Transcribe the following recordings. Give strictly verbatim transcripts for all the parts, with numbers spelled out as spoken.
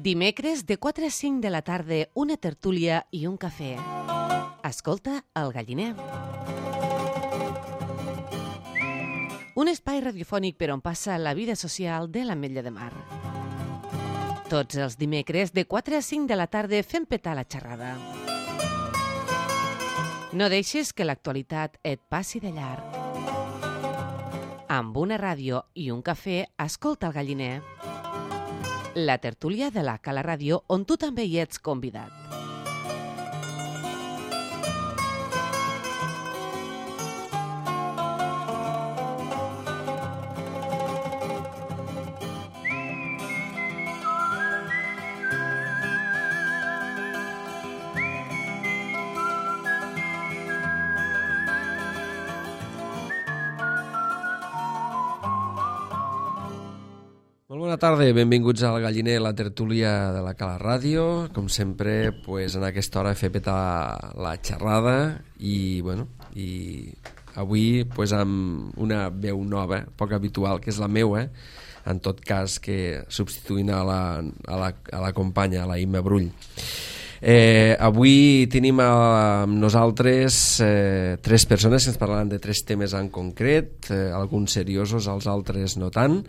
Dimecres de quatre a cinc de la tarda, una tertúlia i un cafè. Escolta El Galliner. Un espai radiofònic per on passa la vida social de l'Ametlla de Mar. Tots els dimecres de quatre a cinc de la tarda fem petar la xerrada. No deixes que l'actualitat et passi de llarg. Amb una ràdio i un cafè, escolta El Galliner. La tertúlia de la Cala Ràdio, on tu també hi ets convidat. Bona tarda, benvinguts al Galliner, la tertúlia de la Cala Ràdio. Com sempre, pues, en aquesta hora he fet petar la xerrada i, bueno, i avui pues, amb una veu nova, poc habitual, que és la meua, en tot cas que substituint a la, a la, a la companya, a la Imma Brull. Eh, avui tenim amb nosaltres eh, tres persones que ens parlaran de tres temes en concret, eh, alguns seriosos, els altres no tant,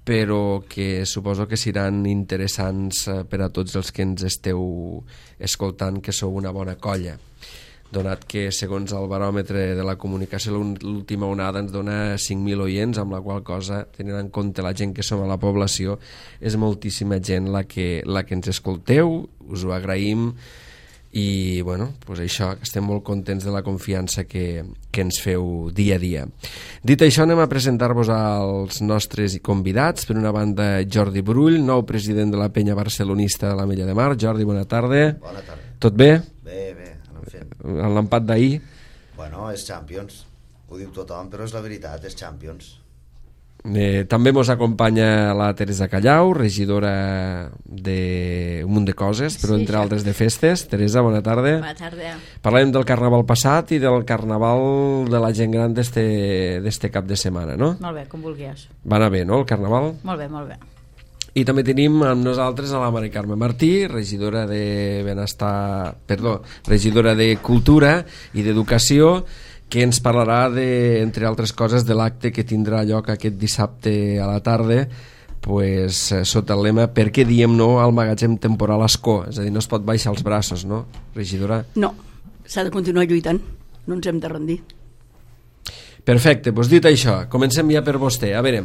però que suposo que seran interessants per a tots els que ens esteu escoltant, que sou una bona colla, donat que segons el baròmetre de la comunicació l'última onada ens dona cinc mil oients, amb la qual cosa, tenint en compte la gent que som a la població, és moltíssima gent la que, la que ens escolteu, us ho agraïm i bueno, pues això, estem molt contents de la confiança que, que ens feu dia a dia. Dit això, anem a presentar-vos als nostres convidats. Per una banda, Jordi Brull, nou president de la penya barcelonista de l'Ametlla de Mar. Jordi, bona tarda. Bona tarda. Tot bé? Bé, bé, anem fent. El l'empat d'ahir? Bueno, és Champions. Ho diu tothom, però és la veritat, és Champions. Eh, també ens acompanya la Teresa Callau, regidora d'un munt de coses, però sí, entre altres de festes. Teresa, bona tarda. Bona tarda. Parlem del carnaval passat i del carnaval de la gent gran d'este cap de setmana, no? Molt bé, com vulguis. Va anar bé, no, el carnaval? Molt bé, molt bé. I també tenim amb nosaltres a la Mari Carme Martí, regidora de benestar, perdó, regidora de Cultura i d'Educació, que ens parlarà, de, entre altres coses, de l'acte que tindrà lloc aquest dissabte a la tarda, pues, sota el lema "Per què diem no al magatzem temporal Ascó?". És a dir, no es pot baixar els braços, no, regidora? No, s'ha de continuar lluitant, no ens hem de rendir. Perfecte, doncs dit això, comencem ja per vostè. A veure,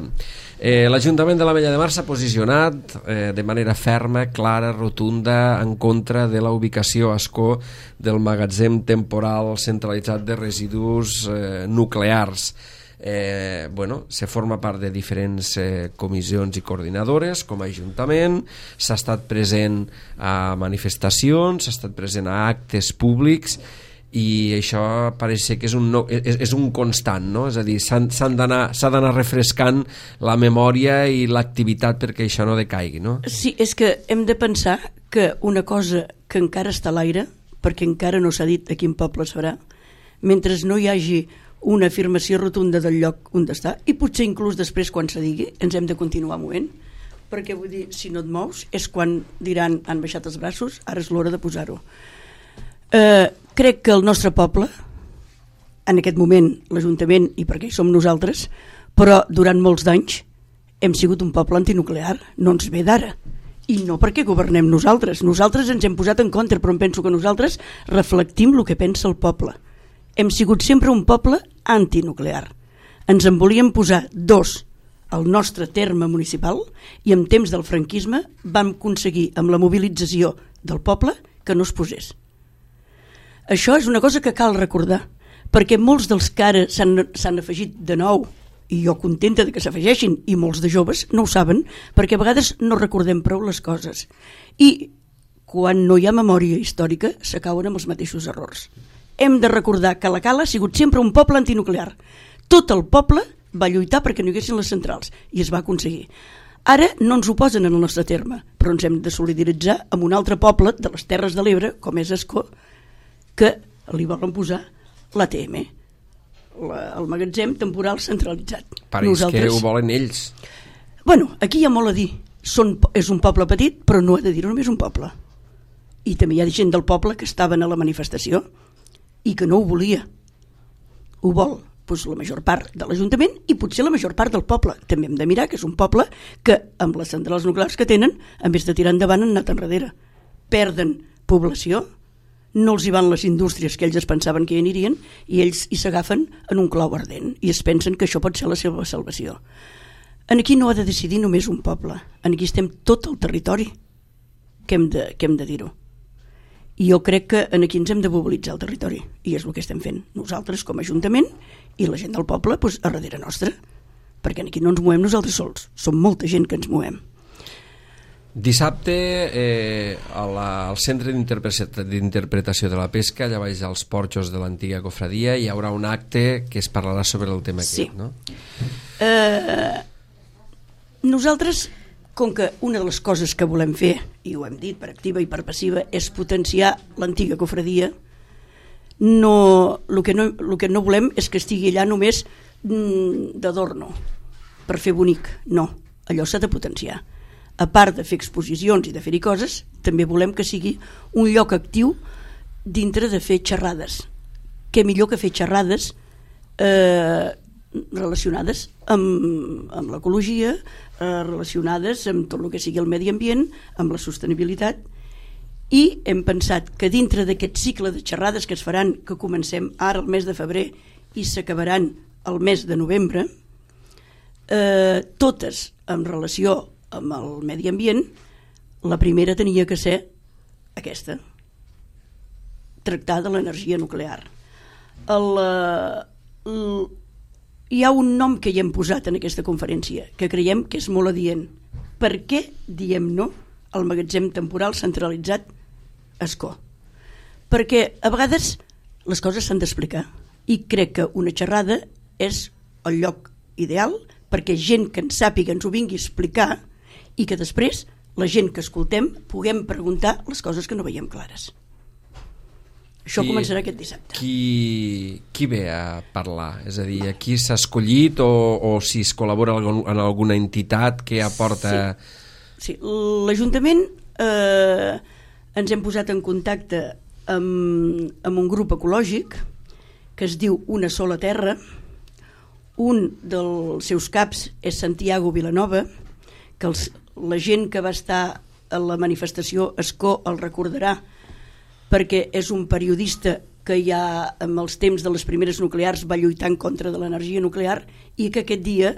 eh, l'Ajuntament de l'Ametlla de Mar s'ha posicionat eh, de manera ferma, clara, rotunda, en contra de la ubicació a Ascó del magatzem temporal centralitzat de residus eh, nuclears. Eh, bueno, se forma part de diferents eh, comissions i coordinadores com a Ajuntament, s'ha estat present a manifestacions, s'ha estat present a actes públics, i això pareix ser que és un, no, és, és un constant, no? És a dir, s'ha d'anar refrescant la memòria i l'activitat perquè això no decaigui, no? Sí, és que hem de pensar que una cosa que encara està a l'aire, perquè encara no s'ha dit a quin poble serà, mentre no hi hagi una afirmació rotunda del lloc on està, i potser inclús després quan se digui ens hem de continuar movent, perquè vull dir, si no et mous és quan diran han baixat els braços, ara és l'hora de posar-ho. Eh, crec que el nostre poble, en aquest moment l'Ajuntament i perquè hi som nosaltres, però durant molts d'anys hem sigut un poble antinuclear, no ens ve d'ara, i no perquè governem nosaltres, nosaltres ens hem posat en contra, però em penso que nosaltres reflectim el que pensa el poble. Hem sigut sempre un poble antinuclear, ens en volíem posar dos al nostre terme municipal i en temps del franquisme vam aconseguir amb la mobilització del poble que no es posés. Això és una cosa que cal recordar, perquè molts dels que ara s'han afegit de nou, i jo contenta de que s'afegeixin, i molts de joves no ho saben, perquè a vegades no recordem prou les coses. I quan no hi ha memòria històrica s'acauen amb els mateixos errors. Hem de recordar que la Cala ha sigut sempre un poble antinuclear. Tot el poble va lluitar perquè no hi haguessin les centrals, i es va aconseguir. Ara no ens ho posen en el nostre terme, però ens hem de solidaritzar amb un altre poble de les Terres de l'Ebre, com és Ascó, que li volen posar l'A T M, el magatzem temporal centralitzat. Pareix Nosaltres... que ho volen ells. Bueno, aquí hi ha molt a dir són, és un poble petit, però no ha de dir-ho només un poble. I també hi ha gent del poble que estaven a la manifestació i que no ho volia. Ho vol doncs, la major part de l'Ajuntament i potser la major part del poble. També hem de mirar que és un poble que, amb les centrals nuclears que tenen, en vez de tirar endavant, han anat enrere. Perden població, no els hi van les indústries que ells es pensaven que hi anirien i ells hi s'agafen en un clau ardent i es pensen que això pot ser la seva salvació. En aquí no ha de decidir només un poble, en aquí estem tot el territori que hem de, que hem de dir-ho. I jo crec que en aquí ens hem de mobilitzar el territori i és el que estem fent nosaltres com a Ajuntament i la gent del poble doncs, a darrere nostra, perquè aquí no ens movem nosaltres sols, som molta gent que ens movem. Dissabte eh, a la, al Centre d'Interpretació de la Pesca, allà baix als porxos de l'antiga cofradia, hi haurà un acte que es parlarà sobre el tema sí. aquest, no? Eh, nosaltres, com que una de les coses que volem fer, i ho hem dit per activa i per passiva, és potenciar l'antiga cofradia, no, el, que no, el que no volem és que estigui allà només mm, d'adorno, per fer bonic. No, allò s'ha de potenciar. A part de fer exposicions i de fer-hi coses, també volem que sigui un lloc actiu dintre de fer xerrades. Què millor que fer xerrades eh, relacionades amb, amb l'ecologia, eh, relacionades amb tot el que sigui el medi ambient, amb la sostenibilitat, i hem pensat que dintre d'aquest cicle de xerrades que es faran, que comencem ara el mes de febrer i s'acabaran el mes de novembre, eh, totes en relació amb el medi ambient, la primera tenia que ser aquesta, tractar de l'energia nuclear. El, el, hi ha un nom que hi hem posat en aquesta conferència, que creiem que és molt adient. Per què diem no al magatzem temporal centralitzat Ascó? Perquè a vegades les coses s'han d'explicar i crec que una xerrada és el lloc ideal perquè gent que en sàpiga ens ho vingui a explicar i que després la gent que escoltem puguem preguntar les coses que no veiem clares. Això qui, començarà aquest dissabte. Qui, qui ve a parlar? És a dir, qui s'ha escollit o, o si es col·labora en alguna entitat que aporta... Sí, sí. L'Ajuntament eh, ens hem posat en contacte amb, amb un grup ecològic que es diu Una Sola Terra. Un dels seus caps és Santiago Vilanova, que els, la gent que va estar a la manifestació Ascó el recordarà perquè és un periodista que ja en els temps de les primeres nuclears va lluitar en contra de l'energia nuclear i que aquest dia,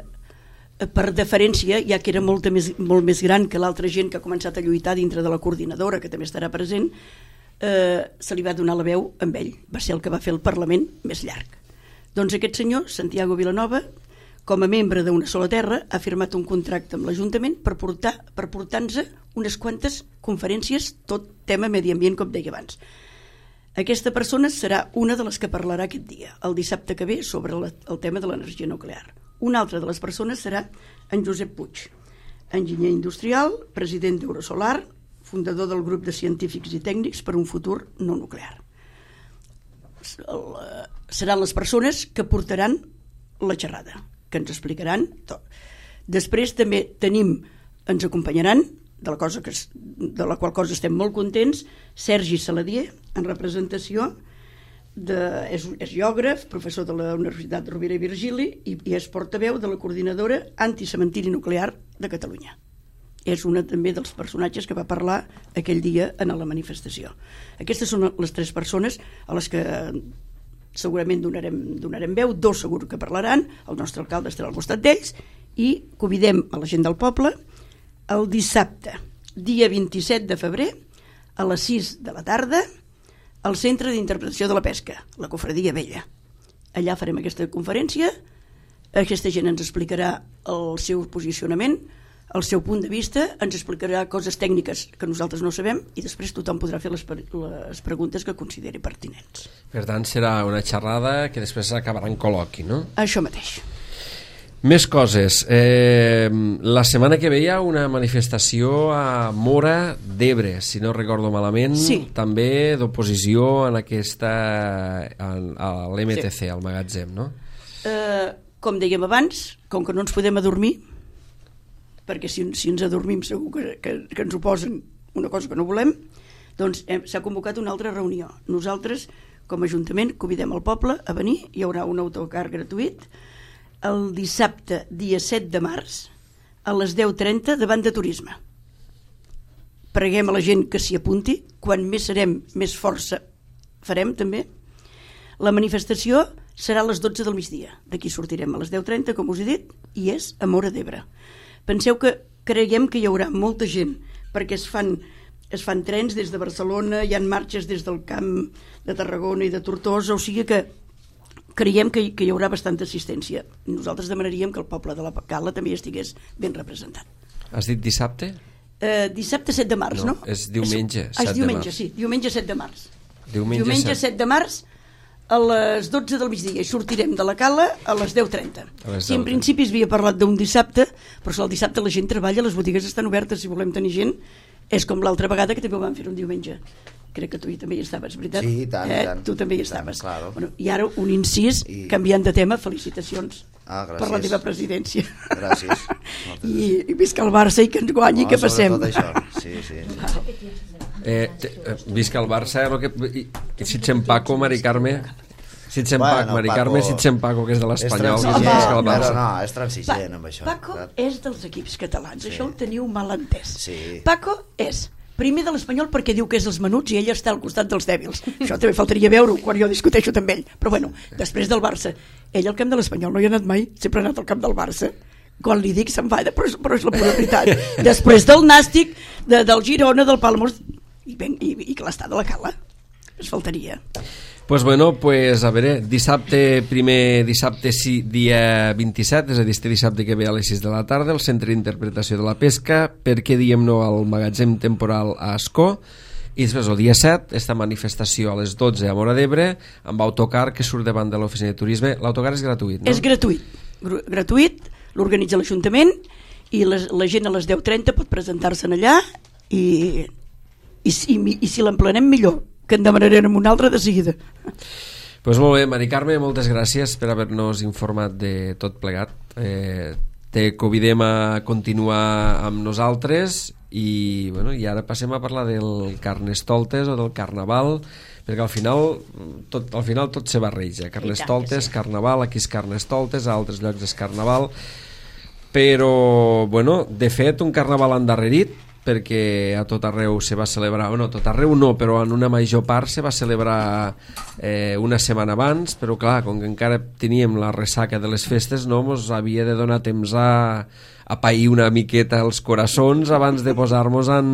per deferència, ja que era molt més, molt més gran que l'altra gent que ha començat a lluitar dintre de la coordinadora, que també estarà present, eh, se li va donar la veu amb ell. Va ser el que va fer el Parlament més llarg. Doncs aquest senyor, Santiago Vilanova, com a membre d'Una Sola Terra, ha firmat un contracte amb l'Ajuntament per portar per portar-nos unes quantes conferències, tot tema medi ambient, com deia abans. Aquesta persona serà una de les que parlarà aquest dia, el dissabte que ve, sobre la, el tema de l'energia nuclear. Una altra de les persones serà en Josep Puig, enginyer industrial, president d'Eurosolar, fundador del grup de científics i tècnics per un futur no nuclear. Seran les persones que portaran la xerrada, que ens explicaran tot. Després també tenim, ens acompanyaran, de la, cosa que, de la qual cosa estem molt contents, Sergi Saladier, en representació, de, és, és geògraf, professor de la Universitat Rovira i Virgili i, i és portaveu de la coordinadora anticementiri nuclear de Catalunya. És una també dels personatges que va parlar aquell dia en la manifestació. Aquestes són les tres persones a les que segurament donarem, donarem veu, dos segur que parlaran, el nostre alcalde estarà al costat d'ells i convidem a la gent del poble el dissabte, dia vint-i-set de febrer, a les sis de la tarda, al Centre d'Interpretació de la Pesca, la Cofradia Vella. Allà farem aquesta conferència, aquesta gent ens explicarà el seu posicionament, el seu punt de vista, ens explicarà coses tècniques que nosaltres no sabem i després tothom podrà fer les, les preguntes que consideri pertinents. Per tant, serà una xerrada que després acabarà en col·loqui, no? Això mateix. Més coses. Eh, la setmana que ve hi ha una manifestació a Móra d'Ebre, si no recordo malament, sí. També d'oposició en aquesta, en, a l'M T C, sí. Al magatzem, no? Eh, com dèiem abans, com que no ens podem adormir, perquè si, si ens adormim segur que, que, que ens ho posen una cosa que no volem, doncs hem, s'ha convocat una altra reunió. Nosaltres, com a Ajuntament, convidem el poble a venir, hi haurà un autocar gratuït el dissabte, dia set de març, a les deu trenta davant de Turisme. Preguem a la gent que s'hi apunti, quan més serem, més força farem també. La manifestació serà a les dotze del migdia, d'aquí sortirem a les deu trenta, com us he dit, i és a Móra d'Ebre. Penseu que creiem que hi haurà molta gent, perquè es fan, es fan trens des de Barcelona, hi ha marxes des del camp de Tarragona i de Tortosa, o sigui que creiem que, que hi haurà bastanta assistència. Nosaltres demanaríem que el poble de la Cala també hi estigués ben representat. Has dit dissabte? Eh, dissabte set de març, no? No, és diumenge, és, set és de diumenge, març. sí, diumenge set de març. Diumenge, Diumenge set de març a les dotze del migdia i sortirem de la Cala a les deu trenta. Sí, en principi es havia parlat d'un dissabte, però el dissabte la gent treballa, les botigues estan obertes, si volem tenir gent, és com l'altra vegada que també ho vam fer un diumenge. Crec que tu hi també hi estaves, veritat? Sí, i tant, eh? i tant. Tu també hi I tant, estaves. claro. Bueno, i ara un incís, I... canviant de tema, felicitacions Ah, gràcies. per la teva presidència. Gràcies. I, I visca el Barça i que ens guanyi, No, que passem. sobretot això. Sí, sí. sí. Eh, te, eh, visca el Barça, lo que, i, i si ets en Paco, Mari Carme, si ets en Bueno, Paco, Mari Paco- Carme, si ets en Paco, que és de És l'Espanyol, que és transigent, visca el però Barça. no, és transigent amb això. Paco saps? és dels equips catalans, Sí. això ho teniu mal entès. Sí. Paco és primer de l'Espanyol perquè diu que és dels menuts i ell està al costat dels dèbils. Això també faltaria veure-ho quan jo discuteixo amb ell. Però bueno, després del Barça, ell al camp de l'Espanyol no hi ha anat mai, sempre ha anat al camp del Barça. Quan li dic s'enfada, però, és, però és la pura veritat. Després del Nàstic, de, del Girona, del Palamós, i, ben, i, i que l'està de la Cala. Es faltaria. Pues bueno, pues a veure, dissabte, primer dissabte sí, dia vint-i-set, és a dir, este dissabte que ve a les sis de la tarda, el Centre d'Interpretació de la Pesca, per què diem no al magatzem temporal a Ascó, i després el dia set, esta manifestació a les dotze a Móra d'Ebre, amb autocar que surt davant de l'oficina de turisme. L'autocar és gratuït, no? És gratuït, Gru- gratuït, l'organitza l'Ajuntament i les, la gent a les deu trenta pot presentar-se'n allà i, i, i, i si l'emplenem millor, que en demanarem un altre de seguida. Pues molt bé, Mari Carme, moltes gràcies per haver-nos informat de tot plegat. Eh, te convidem a continuar amb nosaltres i, bueno, i ara passem a parlar del Carnestoltes o del Carnaval, perquè al final tot, al final tot se barreja. Carnestoltes, sí. Carnaval, aquí és Carnestoltes, a altres llocs és Carnaval, però, bueno, de fet, un Carnaval endarrerit, perquè a tot arreu se va celebrar, o no, a tot arreu no, però en una major part se va celebrar eh, una setmana abans, però clar, com que encara teníem la ressaca de les festes, no, mos havia de donar temps a, a pair una miqueta els coraçons abans de posar-nos en,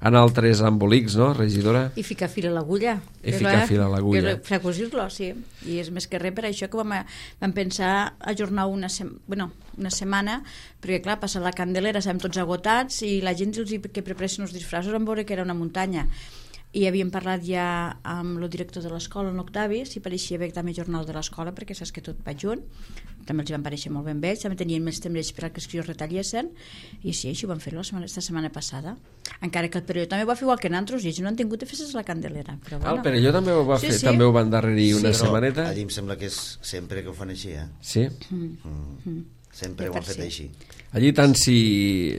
en altres embolics, no, regidora? I ficar fil a l'agulla. I ficar fil a l'agulla. Fracosir-lo, sí. I és més que res per això que vam, vam pensar ajornar una, sem bueno, una setmana, perquè clar, passar la Candelera, estem tots agotats i la gent els que preparessin els disfraços vam veure que era una muntanya. I havíem parlat ja amb el director de l'escola, en Octavi, si pareixia bé també jornal de l'escola, perquè saps que tot va junt, també els van pareixer molt ben vells, també tenien més temps per que els retallessin, i sí, així ho van fer-lo aquesta setmana passada, encara que el Perelló també ho va fer igual que nosaltres, i ells no han tingut de festes a la Candelera. Però, bueno. Ah, el Perelló també ho va sí, fer, sí. també ho van endarrerir una Però setmaneta. allí em sembla que és sempre que ho fan així, eh? Sí? Mm. Mm. Sempre Ja ho han per fet si. així. Allí tant si,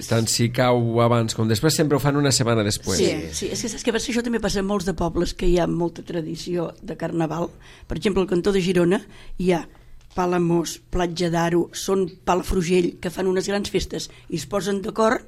tant si cau abans com després sempre ho fan una setmana després. Sí, sí, és que saps que això també passa en molts de pobles que hi ha molta tradició de Carnaval. Per exemple, al cantó de Girona hi ha Palamós, Platja d'Aro, són Palafrugell, que fan unes grans festes i es posen d'acord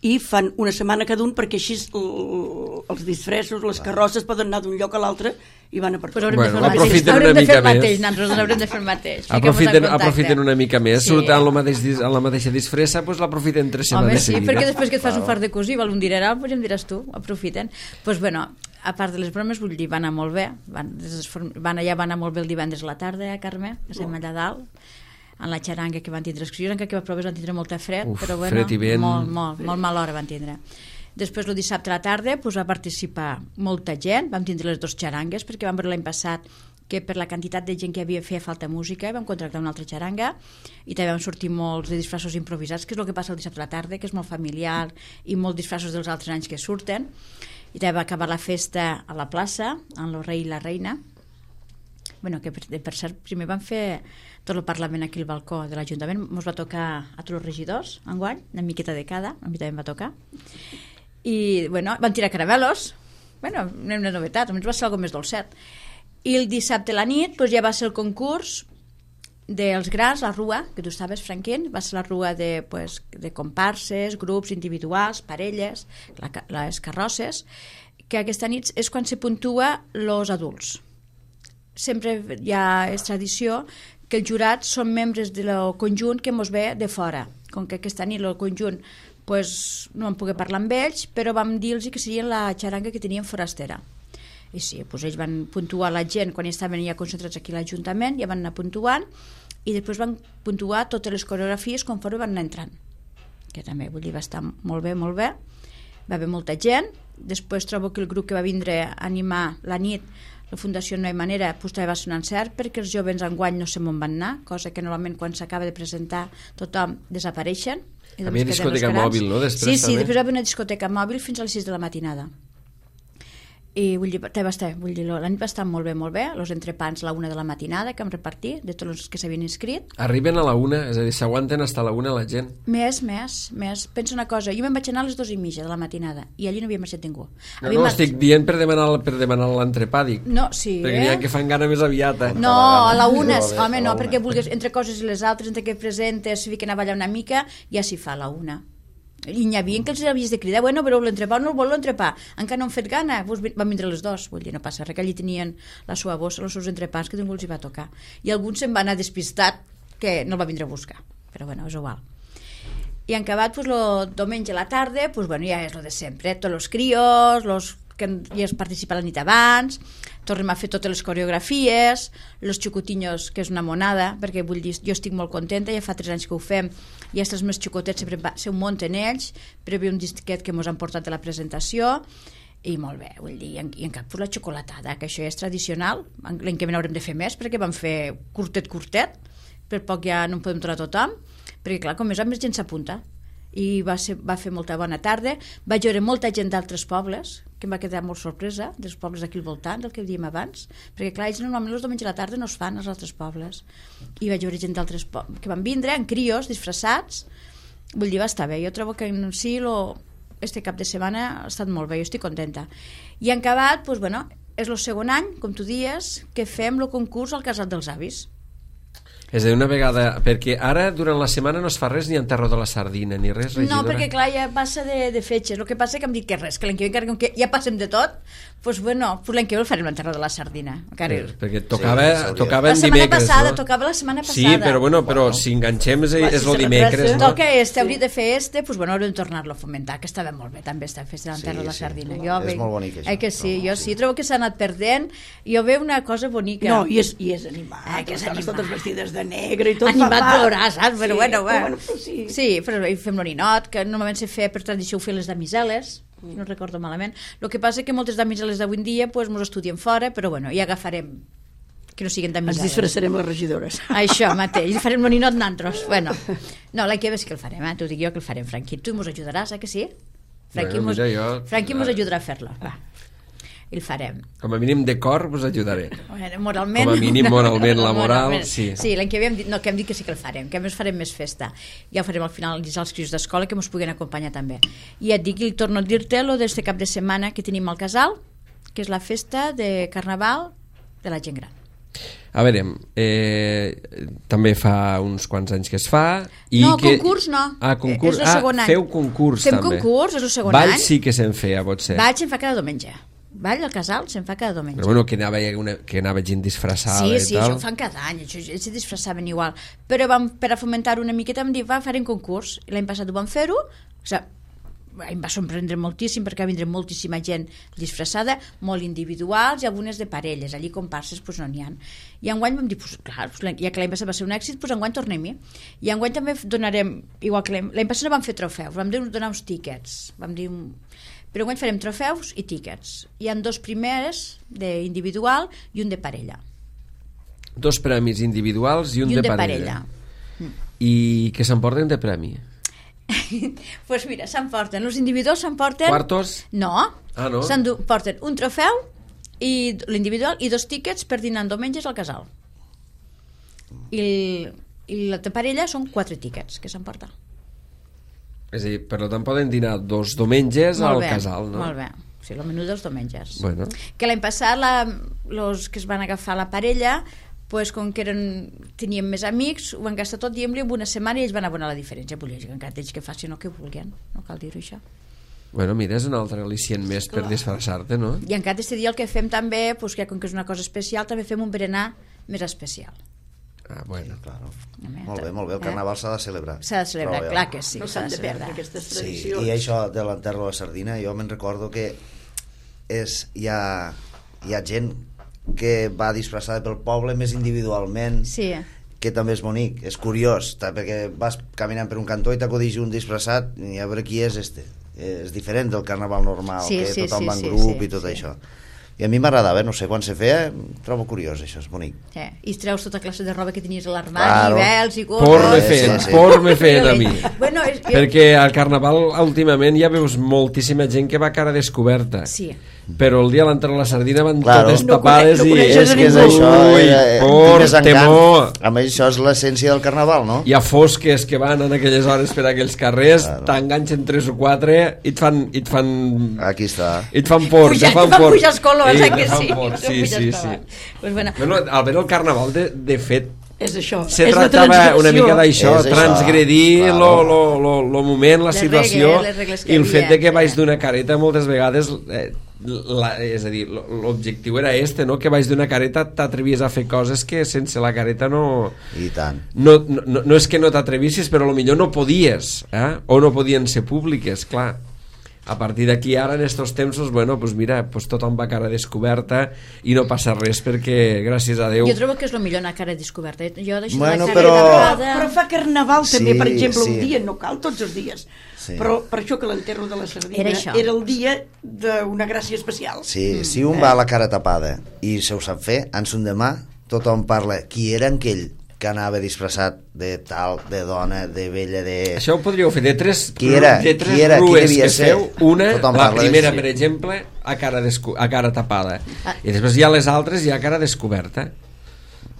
i fan una setmana cada un perquè així el, els disfressos, les carrosses poden anar d'un lloc a l'altre i van a per Pues tot. haurem Bueno, de fer el mateix. aprofiten Haurem una de fer mica el mateix, més. nosaltres haurem de fer el mateix. Fiquem-nos en Aprofiten, contacte. aprofiten una mica més, Sí. surt en la, mateix, en la mateixa disfressa, doncs l'aprofiten tres Home, setmanes sí, seguides. perquè després que et fas un fart de cosir, val un dineral, pues ja em diràs tu, aprofiten. Pues bueno, a part de les bromes, vull dir, va anar molt bé, van, van allà va anar molt bé el divendres a la tarda, eh, Carme? Estem allà dalt, en la xaranga que van tindre excursions, encara que va proves van tindre molta fred, Uf, però bueno, fred i vent. molt, molt, molt mala hora van tindre. Després, el dissabte a la tarda, pues, va participar molta gent, vam tindre les dues xarangues, perquè vam veure l'any passat que per la quantitat de gent que havia feia falta música vam contractar una altra xaranga i també vam sortir molts de disfressos improvisats, que és el que passa el dissabte a la tarda, que és molt familiar i molts disfressos dels altres anys que surten. I també va acabar la festa a la plaça amb el rei i la reina bueno, que per, per cert, primer vam fer tot el Parlament aquí al balcó de l'Ajuntament, ens va tocar a tots els regidors, enguany, una miqueta de cada, a mi també em va tocar, i, bueno, van tirar caramelos, bueno, una novetat, almenys va ser alguna més dolcet, i el dissabte a la nit doncs, ja va ser el concurs dels grans, la rua, que tu estaves, Franquín, va ser la rua de, pues, de comparses, grups individuals, parelles, la, les carrosses, que aquesta nit és quan se puntua els adults. Sempre hi ha és tradició que els jurats són membres del conjunt que mos ve de fora. Com que aquesta nit el conjunt pues, no vam poder parlar amb ells, però vam dir-los que serien la xaranga que tenien forastera. I sí, doncs ells van puntuar la gent quan estaven ja concentrats aquí a l'Ajuntament, ja van anar puntuant, i després van puntuar totes les coreografies conforme van anar entrant, que també, vull dir, va estar molt bé, molt bé, va haver molta gent. Després trobo que el grup que va vindre a animar la nit, la Fundació No hi manera, doncs també va ser un encert, perquè els joves enguany no sé on van anar, cosa que normalment quan s'acaba de presentar tothom desapareixen. Hi havia discoteca mòbil, no? Després, sí, sí, també. després va haver una discoteca mòbil fins a les sis de la matinada. I vull dir, va estar, vull dir, la nit va estar molt bé, molt bé, els entrepans a la una de la matinada que hem repartit, de tots els que s'havien inscrit. Arriben a la una, és a dir, s'aguanten fins a la una la gent. Més, més, més. Pensa una cosa, jo me'n vaig anar a les dues i mitja de la matinada i allí no havia marxat ningú. No, no, estic dient per demanar, per demanar l'entrepà, dic. No, sí, perquè eh? n'hi ha que fan gana més aviat, eh? No, a la una, home, no, perquè vulguis, entre coses i les altres, entre que presentes, si fiquen a ballar una mica, ja s'hi fa a la una. I n'hi havia que els havies de cridar, bueno, però l'entrepà no el vol l'entrepà, encara no han fet gana, doncs van vindre les dos, vull dir, no passa res, que allí tenien la seva bossa, els seus entrepans que ningú els hi va tocar, i alguns se'n va anar despistat que no el va vindre a buscar, però bueno, és igual. I en acabat, doncs, el diumenge a la tarda, doncs, bueno, ja és el de sempre, tots els crios, els que ja es participa la nit abans, tornem a fer totes les coreografies, els xucotinyos, que és una monada, perquè vull dir, jo estic molt contenta, ja fa tres anys que ho fem, i els més xicotets sempre va, se ho munten ells, però hi ha un disquet que ens han portat a la presentació, i molt bé, vull dir, i en, i en cap pues, la xocolatada, que això ja és tradicional, l'any que ve n'haurem de fer més, perquè vam fer curtet, curtet, per poc ja no en podem trobar tothom, perquè clar, com més a més gent s'apunta, i va, ser, va fer molta bona tarda, vaig veure molta gent d'altres pobles, que em va quedar molt sorpresa, dels pobles d'aquí al voltant, del que dèiem abans, perquè clar, ells normalment els diumenges a la tarda no es fan als altres pobles, i vaig veure gent d'altres pobles que van vindre en crios, disfressats, vull dir, va estar bé, jo trobo que en si lo, este cap de setmana ha estat molt bé, jo estic contenta. I en acabat, doncs, bueno, és el segon any, com tu dies, que fem el concurs al Casal dels Avis. És a dir, una vegada, perquè ara durant la setmana no es fa res ni en Terra de la Sardina ni res, regidora? No, perquè clar, ja passa de, de fetges, el que passa que em dit que res, que l'any que ve encara que ja passem de tot, doncs bueno, pues l'any que ve el farem en Terra de la Sardina encara... Sí, perquè tocava, sí, tocava en dimecres, passada, no? tocava la setmana passada. Sí, però bueno, però bueno. Si enganxem és, és el dimecres, no? Toca este, hauria de fer este, doncs bueno, haurem de tornar-lo a fomentar, que estava molt bé també estar fent en Terra de la Sardina. Sí, jo és ve... molt bonic això. Eh que sí, jo sí, trobo que s'ha anat perdent, i jo veu una cosa bonica. No, i és, i és animat, eh, que és animat. Totes vestides de negre i tot. Animat plorar, saps? Però sí, bueno, va. bueno, però sí. Sí, però fem l'oninot, que normalment se feia per tradició ho feien les damiseles, mm. no recordo malament. El que passa que moltes damiseles d'avui en dia pues, mos estudien fora, però bueno, ja agafarem que no siguin damiseles. Ens disfressarem les regidores. Això mateix, farem l'oninot nantros. Bueno, no, l'any que ve sí que el farem, eh? T'ho dic jo que el farem, Franqui. Tu mos ajudaràs, eh que sí? Franqui bueno, mos, mira, jo... Franqui mos ajudarà a fer-lo, va. I el farem. Com a mínim de cor vos ajudaré. Bueno, moralment... Com a mínim moralment, la moral, moralment. sí. Sí, l'any que ve hem dit, no, que hem dit que sí que el farem, que a més farem més festa. Ja ho farem al final als crios d'escola que ens puguin acompanyar també. I et dic, i torno a dir-te lo d'este cap de setmana que tenim al casal, que és la festa de Carnaval de la gent gran. A veure, eh, també fa uns quants anys que es fa i no, que... concurs no, ah, concurs. és el segon ah, any. Feu concurs Fem també. concurs, és el segon Ball any. sí que se'n feia, pot ser. Ball se'n fa cada diumenge. Ball al casal se'n fa cada diumenge. Però bueno, que anava, una, que anava gent disfressada sí, i sí, tal. això ho fan cada any, això, ells se disfressaven igual, però vam, per a fomentar una miqueta vam dir, va, farem concurs, i l'any passat ho vam fer-ho, o sigui, em va sorprendre moltíssim perquè va vindre moltíssima gent disfressada, molt individuals i algunes de parelles, allí comparses pues no n'hi ha, i enguany vam dir pues, clar, ja que l'any passat va ser un èxit, pues enguany tornem-hi, i enguany també donarem, igual que l'any passat no vam fer trofeus, vam donar uns tíquets, vam dir però enguany farem trofeus i tíquets. Hi ha dos primers d'individual i un de parella. Dos premis individuals i un, I un de, de parella. parella. I què s'emporten de premi? Doncs pues mira, s'emporten, els individuals s'emporten... Quartos? No, ah, no? s'emporten un trofeu i l'individual, i dos tíquets per dinar en diumenges al casal. I, el, i la parella són quatre tíquets que s'emporta. És a dir, per tant poden dinar dos diumenges Molt al bé, casal, no? Molt bé. O sigui, el menú dels diumenges. Bueno. Que l'any passat la, los que es van agafar la parella, pues, com que eren, tenien més amics, ho van gastar tot, diguem-li, en una setmana, i ells van abonar la diferència. Volia dir que encara ells que facin el que vulguin, no cal dir-ho això. Bueno, mira, és un altre al·licient més per disfressar-te, no? I encara aquest dia el que fem també, pues, que com que és una cosa especial, també fem un berenar més especial. Ah, bueno. Sí, claro. Home, Molt bé, molt bé, el carnaval s'ha de celebrar. S'ha de celebrar, Trobo jo. clar que sí. No s'ha s'han de de perdre celebrar. aquestes Sí, tradicions. i això de l'enterro de la sardina, jo me'n recordo que és, hi, ha, hi ha gent que va disfressada pel poble més individualment, Sí. que també és bonic, és curiós, perquè vas caminant per un cantó i t'acudix un disfressat i a veure qui és este. És diferent del carnaval normal, Sí, que sí, tothom sí, va en sí, grup sí, i tot sí. això. I a mi m'agradava, no sé, quan se feia, trobo curiós, això, és bonic. Sí. I es treus tota classe de roba que tenies a l'armari, Claro. vels i Por gorros. me Sí, feien, sí, sí. por me feien a mi. Bueno, és, Perquè al carnaval últimament ja veus moltíssima gent que va a cara descoberta. Sí. Però el dia de l'entrada de la sardina van Claro. totes No tapades conec- no i coneixes és a que és ningú. això, Ui, ui, eh, por, més encant. temor. A més, això és l'essència del carnaval, no? Hi ha fosques que van en aquelles hores per aquells carrers, Claro. t'enganxen tres o quatre i et fan, i et fan, Aquí està. i et fan por, Pujar, te fan te fan por. pujar els colors, Sí, eh, te que fan sí? por, Te sí, puges sí, colors. sí. Pues bueno, Bueno, al veure el carnaval, de, de fet, És això, se és la tractava transgressió. una mica d'això, És això, transgredir claro. lo, lo, lo, lo moment, la Les situació, regles, les regles que i el hi fet havia, de que sí. vaig d'una careta moltes vegades, eh, la, és a dir, lo- l'objectiu era este, no? Que vaig d'una careta t'atrevies a fer coses que sense la careta no... I tant. No, no, no és que no t'atrevissis, però potser no podies, eh? O no podien ser públiques, clar. A partir d'aquí ara, en estos temps, bueno, pues mira, pues tothom va a cara descoberta i no passa res perquè, gràcies a Déu... jo trobo que és el millor anar a cara descoberta. Jo deixo Bueno, la cara però- tapada. Però fa carnaval també, Sí, per exemple, sí. un dia, no cal tots els dies. Sí. Però per això que l'enterro de la sardina Era era, això. era el dia d'una gràcia especial. Sí, si un va a la cara tapada i se ho sap fer, ans un demà tothom parla qui era aquell que anava disfressat de tal, de dona, de vella, de... Això ho podríeu fer de tres, Qui era? de tres Qui era? Qui rues devia que ser? feu. Una, Tothom la parla primera, d'això. per exemple, a cara, descu a cara tapada. Ah. I després hi ha les altres i a cara descoberta.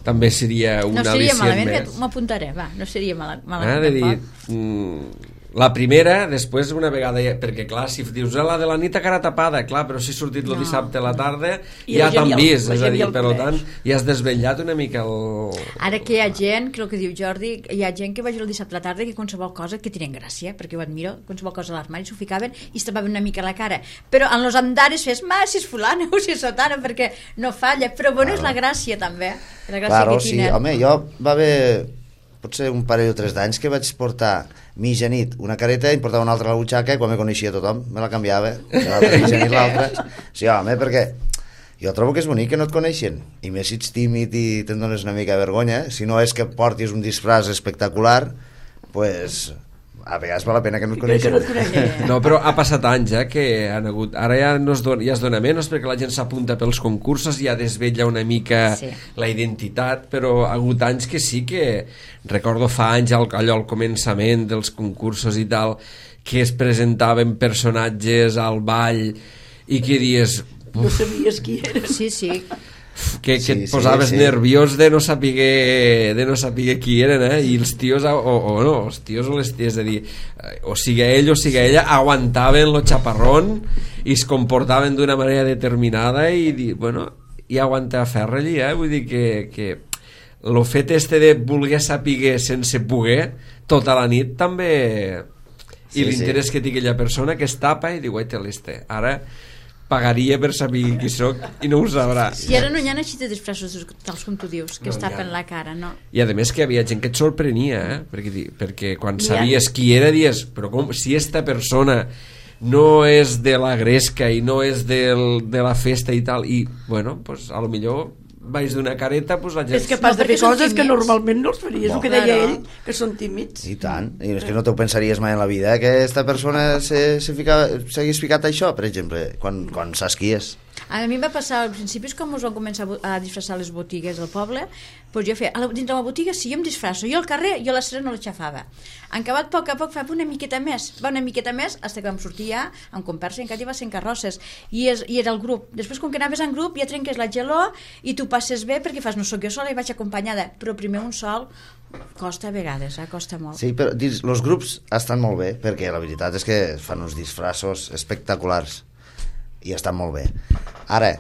També seria No una seria al·licient malament, més. que m'apuntaré, va, no seria mal, Eh, malament. de dir, tampoc. mm, la primera, després una vegada, ja- perquè clar, si dius "Ah, la de la nit a cara tapada, clar, però si ha sortit el No. dissabte a la tarda, I ja la gent t'han ja el- vist, la és a gent dir, ja el per coneix. tant, ja has desvetllat una mica el... Ara que hi ha gent, que el que diu Jordi, hi ha gent que va el dissabte a la tarda que qualsevol cosa que tenen gràcia, perquè ho admiro, qualsevol cosa a l'armari s'ho ficaven i es tapaven una mica la cara. Però en los andares fes, ma, si és fulana o si és sotana, perquè no falla. Però bueno, és la gràcia també, la gràcia Claro, que sí, tenen. home, jo va haver potser un parell o tres d'anys que vaig portar mitja nit una careta i em portava una altra a la butxaca i quan me coneixia tothom me la canviava, l'altra mitja nit l'altra. Sí, home, perquè jo trobo que és bonic que no et coneixen, i més si ets tímid i te'n dones una mica de vergonya, si no és que portis un disfraç espectacular, pues a vegades val la pena que no et Que no coneixen. et coneixen. No, però ha passat anys, eh, que han hagut... Ara ja, no es dona, ja es dona menys perquè la gent s'apunta pels concursos, ja desvetlla una mica Sí. la identitat, però ha hagut anys que sí que... Recordo fa anys al- allò al començament dels concursos i tal, que es presentaven personatges al ball i que dies... No sabies qui era. Sí, sí. que, que Sí, et sí, posaves sí. nerviós de no saber de no saber qui eren, eh? I els tios o, o no, els tios o les ties, és a dir, o sigui ell o sigui ella aguantaven lo chaparrón i es comportaven d'una manera determinada i dir, bueno, i aguantar ferro allí, eh? Vull dir que, que lo fet este de voler saber sense poder tota la nit també, Sí, i l'interès sí. que té aquella persona que es tapa i diu, te l'este, ara pagaria per saber qui sóc i no ho sabrà. I ara no hi ha així de disfressos tals com tu dius, que No es hi ha. tapen la cara, no? I a més que hi havia gent que et sorprenia, eh? perquè, di- perquè quan Hi ha- sabies qui era dies, però com, si esta persona no és de la gresca i no és del, de la festa i tal, i bueno, pues a lo millor vaig d'una careta, pues la gent... És capaç No, de fer perquè són coses que tímids. normalment no els faries, el que deia Claro. ell, que són tímids. I tant, i és que no t'ho pensaries mai en la vida, eh, que aquesta persona se, se fica, s'hagués ficat això, per exemple, quan, quan saps qui és. A mi em va passar, al principi, com us van començar a disfressar les botigues del poble, doncs jo feia, a la, dins de la botiga sí, jo em disfrasso, jo al carrer, jo a la cera no l'aixafava. En acabat, a poc a poc, fa una miqueta més, va una miqueta més, fins que vam sortir ja amb comparsa, i encara hi va ser en carrosses, i, és, i era el grup. Després, com que anaves en grup, ja trenques la geló i tu passes bé, perquè fas, no sóc jo sola, i vaig acompanyada, però primer un sol costa a vegades, eh? Costa molt. Sí, però dins, els grups estan molt bé, perquè la veritat és que fan uns disfressos espectaculars i estan molt bé. Ara,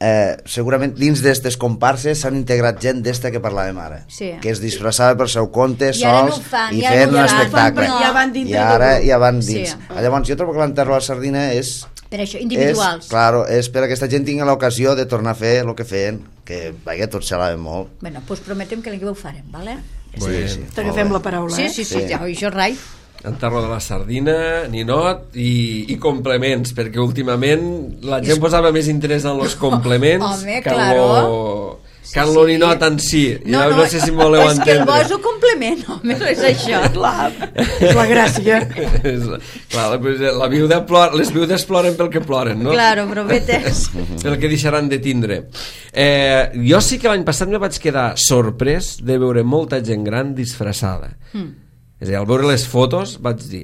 eh, segurament dins d'aquestes comparses s'han integrat gent d'esta que parlàvem ara, sí. que es disfressava per seu compte, I ara sols, no fan, i ja fent no un fan, espectacle. no. Ja van dintre I ara del grup. ja van dins. Sí. Ah, llavors, jo trobo que l'enterro a la sardina és... Per això, individuals. És, claro, és per a aquesta gent tingui l'ocasió de tornar a fer el que feien, que vaja, tots xalaven molt. Bueno, doncs prometem que l'any que ho farem, vale? Bueno, sí, sí. T'agafem la paraula, Sí, eh? sí, sí, Sí. ja, això rai. enterro de la sardina, ninot i, i complements, perquè últimament la gent posava més interès en els complements Home, que en claro. lo, que en Sí, lo sí. ninot en si. No, no, no, no sé si m'ho voleu és que el bo entendre. és un complement, home, no és això. Clar, és la gràcia. És- Clar, pues, la viuda plora, les viudes ploren pel que ploren, no? Claro, però vetes. Pel que deixaran de tindre. Eh, jo sí que l'any passat me vaig quedar sorprès de veure molta gent gran disfressada. Mm. És a dir, al veure les fotos vaig dir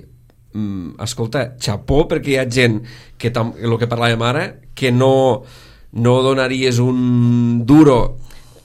mm, escolta, xapó, perquè hi ha gent que, tam, el que parlàvem ara, que no, no donaries un duro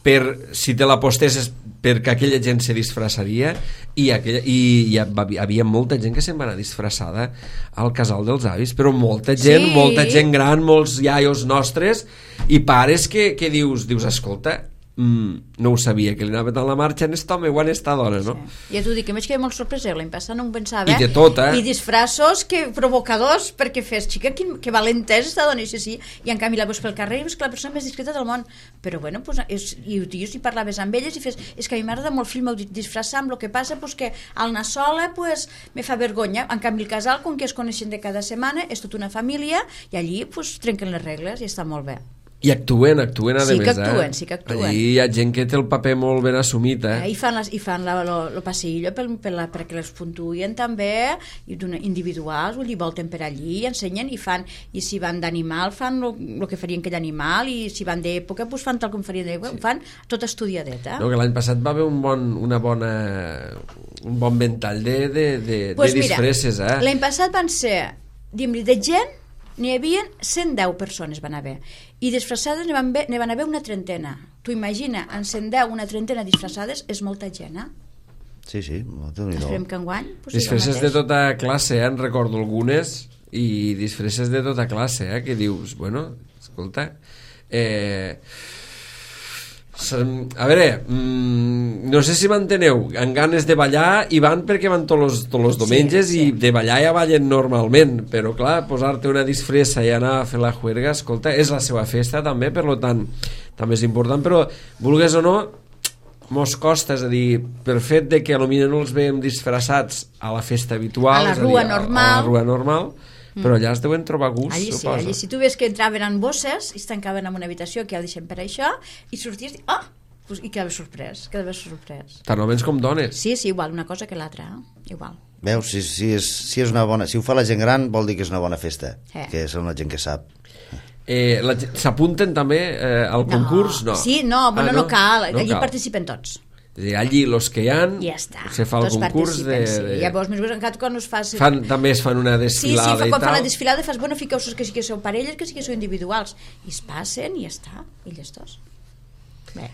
per si te la postesses perquè aquella gent se disfressaria i, aquella, i hi havia molta gent que se'n va anar disfressada al casal dels avis, però molta gent, Sí. molta gent gran, molts iaios nostres i pares que, que dius, dius escolta, mm, no ho sabia, que li anava tant la marxa en esta home o en esta dona, no? Ja t'ho dic, que m'haig quedat molt sorpresa, l'any passat no ho pensava. I de tot, eh? I disfressos que provocadors, perquè fes, xica, que, que valenta és esta dona, i sí, sí, i en canvi la veus pel carrer i veus que la persona més discreta del món, però bueno, pues, és, i ho dius i parlaves amb elles i fes, és que a mi m'agrada molt fill meu disfressar amb el que passa, pues, que al anar sola pues, me fa vergonya, en canvi el casal, com que es coneixen de cada setmana, és tota una família i allí pues, trenquen les regles i està molt bé. I actuen, actuen a Sí més, que actuen, eh? sí que actuen. Allí hi ha gent que té el paper molt ben assumit, eh? Eh, I fan, les, i fan la, lo, lo passillo per, per la, perquè les puntuïen també, i d'una- individuals, vull dir, volten per allí, i ensenyen i fan, i si van d'animal fan el que farien aquell animal, i si van d'època pues fan tal com farien d'època, fan tot estudiadet, eh? No, que l'any passat va haver un bon, una bona, un bon ventall de, de, de, Pues de mira, disfresses, eh? l'any passat van ser, diguem-li, de gent, n'hi havia cent deu persones van haver, i disfressades n'hi van, haver- n'hi van haver una trentena. Tu imagina, en cent deu, una trentena disfressades és molta gent, eh? Sí, sí, déu-n'hi-do. Esperem que enguany pues, sigui el Disfresses de mateix. tota classe, eh? En recordo algunes, i disfresses de tota classe, eh? Que dius, bueno, escolta, eh... Som- a veure, mm, no sé si m'enteneu, amb ganes de ballar i van perquè van tots els, tots els diumenges Sí, sí. i de ballar ja ballen normalment, però clar, posar-te una disfressa i anar a fer la juerga, escolta, és la seva festa també, per lo tant també és important, però vulgues o no mos costa, és a dir, per fet de que potser no els veiem disfressats a la festa habitual, A la és a dir, rua a- normal. a la rua normal, però allà es deuen trobar gust, Allí sí, suposo. allí si tu ves que entraven en bosses i es tancaven en una habitació que ja deixem per això i sorties i oh! Pues, i quedaves sorprès, quedaves sorprès. Tant homes com dones. Sí, sí, igual, una cosa que l'altra, eh? Igual. Veus, si, si, és, si, és una bona, si ho fa la gent gran vol dir que és una bona festa, Eh. que és una gent que sap. Eh, la gent- S'apunten també eh, al concurs? No. Sí, no, bueno, Ah, no, cal, No allí cal. participen tots. És a dir, allí los que hi han I ja està. se fa el Tots concurs de, participen, de... sí. Llavors, més encara quan us fas... Fan, també es fan una Sí, sí, desfilada fa, i quan tal. fan la desfilada fas, bueno, fiqueu-vos que sí que sou parelles, que sí que sou individuals. I es passen i ja està, i llestos. Bé.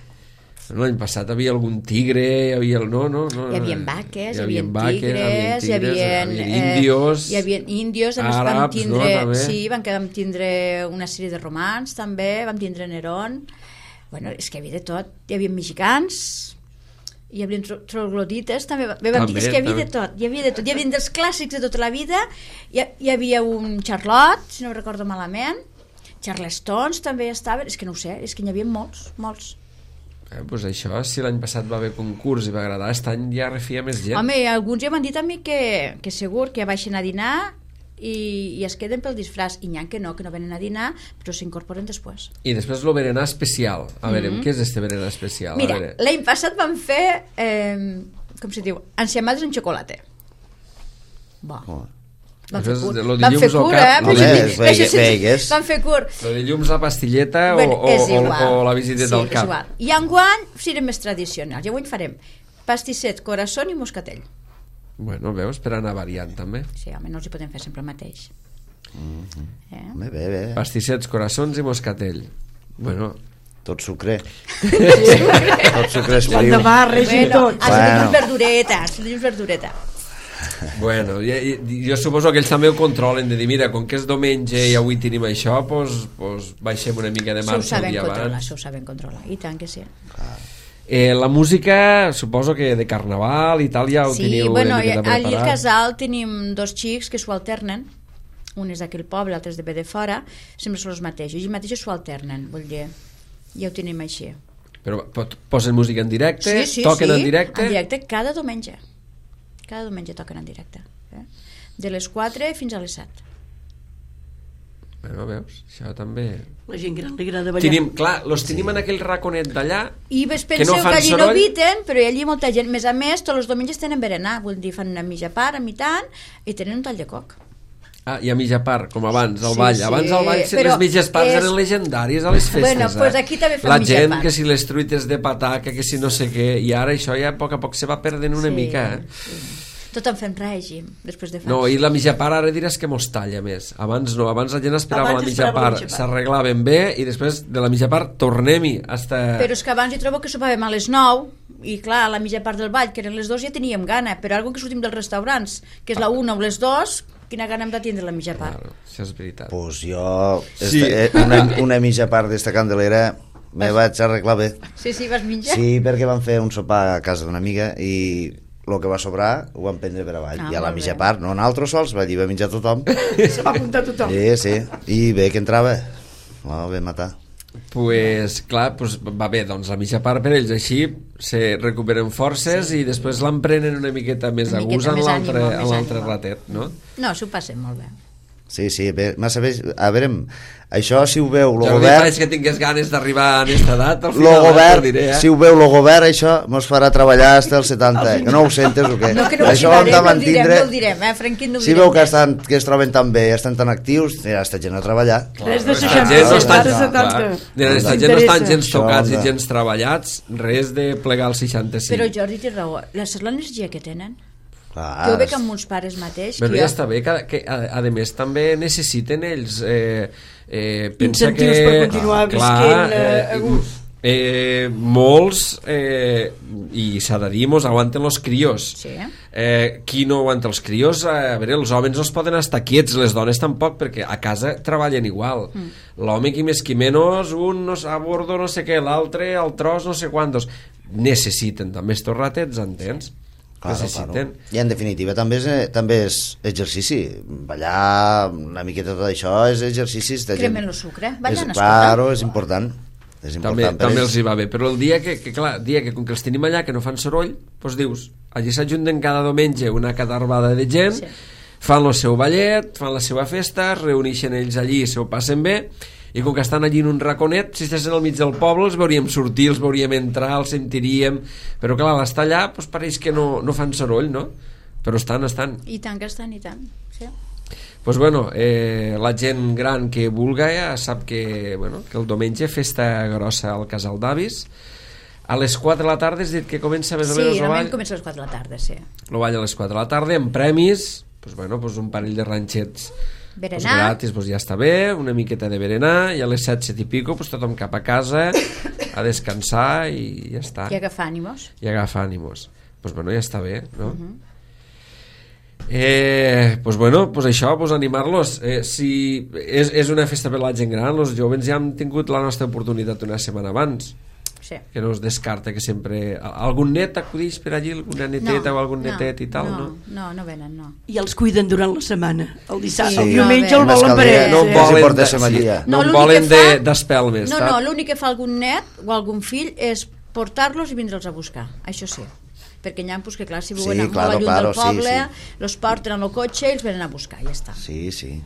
L'any passat hi havia algun tigre, hi havia el... No, no, no, Hi havia vaques, hi hi havia vaques, tigres, hi havia, hi havia índios, hi havia índios, a més vam àrabs, tindre, no, també? sí, vam, vam tindre una sèrie de romans també, vam tindre Nerón, bueno, és que hi havia de tot, hi havia mexicans, hi havia tro troglodites també, bé, vam També, dir, és que hi havia també. de tot, hi havia de tot, hi havia dels clàssics de tota la vida, hi, hi havia un Charlotte, si no ho recordo malament, Charlestons també estaven, és que no ho sé, és que n'hi havia molts, molts. Eh, pues això, si l'any passat va haver concurs i va agradar, aquest any ja refia més gent. Home, alguns ja m'han dit a mi que, que segur que baixen a dinar i, i es queden pel disfraç, i n'hi ha que no, que no venen a dinar, però s'incorporen després. I després el berenar especial. A veure, què és este berenar especial? Mira, a veure. l'any passat vam fer, eh, com se diu, enciamades en xocolata. Bo. Oh. Van fer curt, Lo van fer curt, eh? No, Però bé, això sí, veigues. van fer curt. Lo de llums, la pastilleta Bueno, o, és o, igual. o la visita Sí, del és cap. igual. I enguany serem més tradicionals. I avui farem pastisset, corazón i moscatell. Bueno, veus, per anar variant també. Sí, home, no els hi podem fer sempre el mateix. Eh? Bé, bé, bé. Pastissets, coraçons i moscatell. Bueno, Tot sucre. Tot sucre es L'endemà friu. barregi Bueno, tot. has de Bueno. dir verdureta, has de dir verdureta. bueno jo, jo suposo que ells també ho controlen, de dir, mira, com que és diumenge i avui tenim això, doncs, doncs baixem una mica de Això ho marxa el saben dia controlar, abans. això ho saben controlar. I tant que sí. Eh, la música, suposo que de carnaval i tal ja ho Sí, teniu bueno, una miqueta allí al preparat. casal tenim dos xics que s'ho alternen, un és d'aquell poble, l'altre és de bé de fora, sempre són els mateixos, i mateixos s'ho alternen, vull dir, ja ho tenim així. Però pot- posen música en directe, Sí, sí, toquen sí, en directe. en directe cada diumenge. Cada diumenge toquen en directe. Eh? De les quatre fins a les set. Bueno, veus, això també... La gent gran li agrada ballar. Tenim, clar, los tenim en aquell raconet d'allà. I ves Que penseu no que, fan allí no soroll. eviten, però allí molta gent, més a més, tots els diumenges tenen berenar, vull dir, fan una mitja part, a mitant, i tenen un tall de coc. Ah, i a mitja part, com abans, al Sí, ball. sí, Abans al ball però les mitges parts és- eren legendàries a les festes. Bueno, pues eh? aquí també fan La mitja gent, part. que si les truites de pataca, que si no sé què, i ara això ja a poc a poc se va perdent una Sí, mica, eh? sí. Tot en fem règim, després de fans. No, i la mitja part ara diràs que mos talla més. Abans no, abans la gent esperava Abans la mitja esperava la part, mitja part. s'arreglaven bé i després de la mitja part tornem-hi hasta... Però és que abans jo trobo que sopàvem a les nou i clar, a la mitja part del ball, que eren les dos, ja teníem gana, però algo que sortim dels restaurants, que és la una o les dos, quina gana hem de tindre la mitja part. Claro, això és veritat. Pues jo, Sí. este, eh, una, una mitja part d'esta candelera me vaig arreglar bé. Sí, sí, vas menjar? Sí, perquè vam fer un sopar a casa d'una amiga i el que va sobrar ho vam prendre per avall. Ah, I a la molt mitja bé. part, no nosaltres sols, allí va menjar tothom. Se va apuntar tothom. Sí, sí. I bé que entrava. Oh, bé matar. Pues clar, pues, va bé, doncs la mitja part per ells així se recuperen forces sí. i després l'emprenen una miqueta més Una a miqueta gust en més l'altre ànimo, en més l'altre ànimo. ratet, no? No, s'ho passem molt bé. Sí, sí, bé, massa bé. A veure, això si ho veu el Jo no govern... faig que tingués ganes d'arribar a aquesta edat, al Lo final govern, t'ho diré, eh? si ho veu el govern, això mos farà treballar fins als setanta. Que no ho sentes o què? No, que no ho això ho hem de citarem, no ho direm, mantindre. no ho direm, eh, Franquit, no ho Si direm. veu que, estan, que es troben tan bé, estan tan actius, ja està gent a treballar. Res de Aquesta seixanta, gent no res estan, de setanta. clar, aquesta Els gent no estan interessa. gens tocats Això, i no. gens treballats, res de plegar al seixanta-cinc. Però Jordi té raó, la, l'energia que tenen. Clar, Jo veig amb molts pares mateix Però que ja jo- està bé, que, que a, a més també necessiten ells eh, eh, pensa Incentius que, per continuar visquent, eh, a gust. eh, molts eh, i s'ha de dir, mos aguanten els crios. Sí. Eh, qui no aguanta els crios? A veure, els homes no es poden estar quiets, les dones tampoc, perquè a casa treballen igual. Mm. L'home qui més qui menys, un no, a bordo no sé què, l'altre al tros no sé quantos. Necessiten també estos ratets, entens? Claro, Necessiten. claro. I en definitiva també és, eh, també és exercici. Ballar, una miqueta tot això és exercicis de gent. Cremen el sucre, ballant, és, escolta. claro, és important. És important També, per també ells. els hi va bé, però el dia que, que clar, dia que com que els tenim allà que no fan soroll, doncs dius, allí s'ajunten cada diumenge una catarbada de gent, Sí. fan el seu ballet, fan la seva festa, es reuneixen ells allí, se ho passen bé, i com que estan allí en un raconet, si estiguessin al mig del poble els veuríem sortir, els veuríem entrar, els sentiríem, però clar, a l'estar allà doncs pareix que no, no fan soroll, no? Però estan, estan. I tant que estan, i tant. Sí. Pues bueno, eh, la gent gran que vulga ja sap que, bueno, que el diumenge festa grossa al casal d'avis. A les quatre de la tarda has dit que comença més o Sí, menys el normalment ball. comença a les quatre de la tarda, sí. El ball a les quatre de la tarda, amb premis, pues bueno, pues un parell de ranxets pues Berenar. gratis, pues ja està bé, una miqueta de berenar, i a les set, set i pico pues tothom cap a casa a descansar i ja està. I agafar ànimos. I agafa ànimos. Pues bueno, ja està bé, no? Uh -huh. Eh, pues bueno, pues això, pues animar-los. Eh, si és, és una festa per la gent gran, els joves ja hem tingut la nostra oportunitat una setmana abans, Sí. que no es descarta que sempre... Algun net acudix per allí, alguna neteta o algun netet i tal, no? no? No, no venen, no. I els cuiden durant la setmana. El dissabte, Sí. el diumenge No, el bé. volen per ells. No eh? volen, Si portés de- amb allí, ja. no, No, en l'únic volen que de- fa- d'espelmes, No, sap? no, l'únic que fa algun net o algun fill és portar-los i vindre'ls a buscar, això sí. Perquè n'hi ha, pues, que clar, si viuen Sí, molt claro, lluny claro, del sí, poble, sí. los porten en el cotxe i els venen a buscar, ja està. Sí, sí.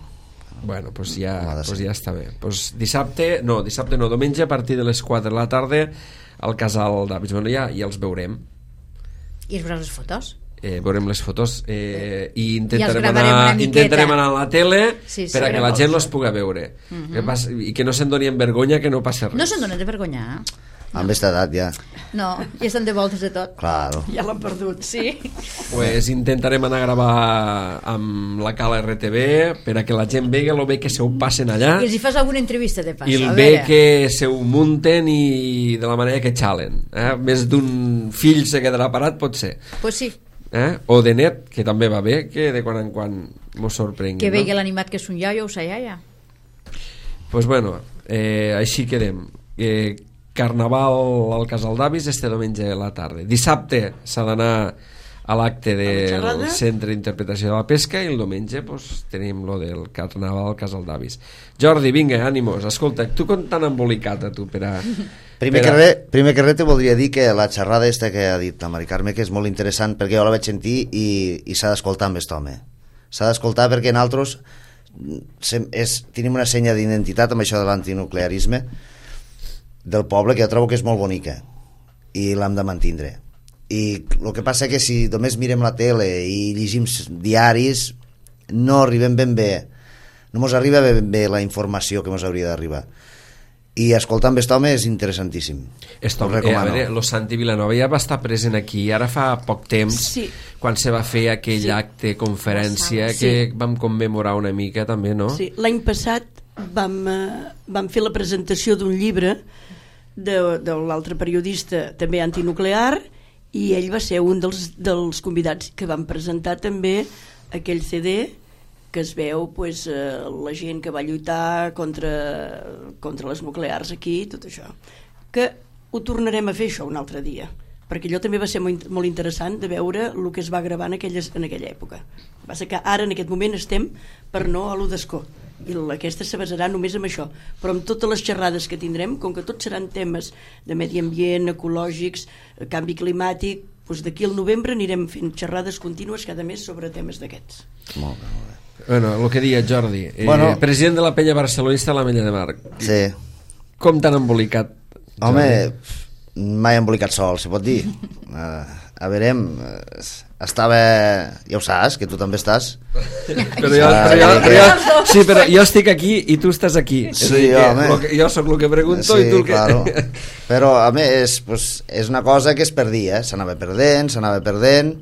Bueno, pues Com ja, ha de pues ser. ja està bé. Pues dissabte, no, dissabte no, diumenge a partir de les quatre de la tarda al casal d'avis. Bueno, ja, ja els veurem. I es veuràs les fotos? eh, veurem les fotos eh, i intentarem, I anar, intentarem anar a la tele sí, sí, per a que la gent les pugui veure. Uh-huh. que pas, i que no se'n doni en vergonya, que no passa res. No se'n donen de vergonya. Amb aquesta edat ja. No, ja estan de voltes de tot. Claro. Ja l'han perdut. Sí. Pues intentarem anar a gravar amb la Cala R T V per a que la gent vegi el bé que se ho passen allà I els hi fas alguna entrevista de pas. i el a bé veure. que se ho munten i de la manera que xalen. Eh? Més d'un fill se quedarà parat, pot ser. Pues sí, Eh? O de net, que també va bé, que de quan en quan mos sorprengui. que vegi no? l'animat que és un iaio o sa iaia. Pues bueno, eh, així quedem. Eh, Carnaval al Casal d'Avis este diumenge a la tarda. Dissabte s'ha d'anar a l'acte del Centre d'Interpretació de la Pesca i el diumenge pues, tenim lo del Carnaval al Casal d'Avis. Jordi, vinga, ànimos. Escolta, tu com t'han embolicat a tu per a... Primer, per a... que res, primer que res te voldria dir que la xerrada esta que ha dit la Mari Carme que és molt interessant perquè jo la vaig sentir i, i s'ha d'escoltar amb aquest home. S'ha d'escoltar perquè nosaltres sem, és, tenim una senya d'identitat amb això de l'antinuclearisme del poble que jo trobo que és molt bonica i l'hem de mantindre. I el que passa que si només mirem la tele i llegim diaris no arribem ben bé, no mos arriba ben bé la informació que mos hauria d'arribar. I escoltar amb aquest home és interessantíssim. Esto, Ho eh, a recomano. veure, lo Santi Vilanova ja va estar present aquí ara fa poc temps, Sí. quan se va fer aquell Sí. acte, conferència, Sí. que vam commemorar una mica també, no? Sí, l'any passat vam, eh, vam fer la presentació d'un llibre de, de l'altre periodista també antinuclear i ell va ser un dels, dels convidats que van presentar també aquell C D que es veu pues, eh, la gent que va lluitar contra, contra les nuclears aquí i tot això, que ho tornarem a fer això un altre dia perquè allò també va ser molt, molt interessant de veure el que es va gravar en, aquelles, en aquella època. Va ser que ara en aquest moment estem per no a l'u d'escó i aquesta se basarà només en això, però amb totes les xerrades que tindrem, com que tots seran temes de medi ambient, ecològics, canvi climàtic, doncs d'aquí al novembre anirem fent xerrades contínues cada mes sobre temes d'aquests. Molt bé, molt bé. Bueno, el que deia Jordi, eh, Bueno. president de la penya barcelonista a la Mella de Mar. Sí. Com t'han embolicat? Home, Jordi? mai embolicat sol, se pot dir. Uh, a veure, uh, estava... Ja ho saps, que tu també estàs. Però jo, però jo, però jo, sí, però jo estic aquí i tu estàs aquí. És a dir, Sí, que home. lo que, jo sóc el que pregunto Sí, i tu el que... claro. Però, a més, pues, és una cosa que es perdia, eh? S'anava perdent, s'anava perdent,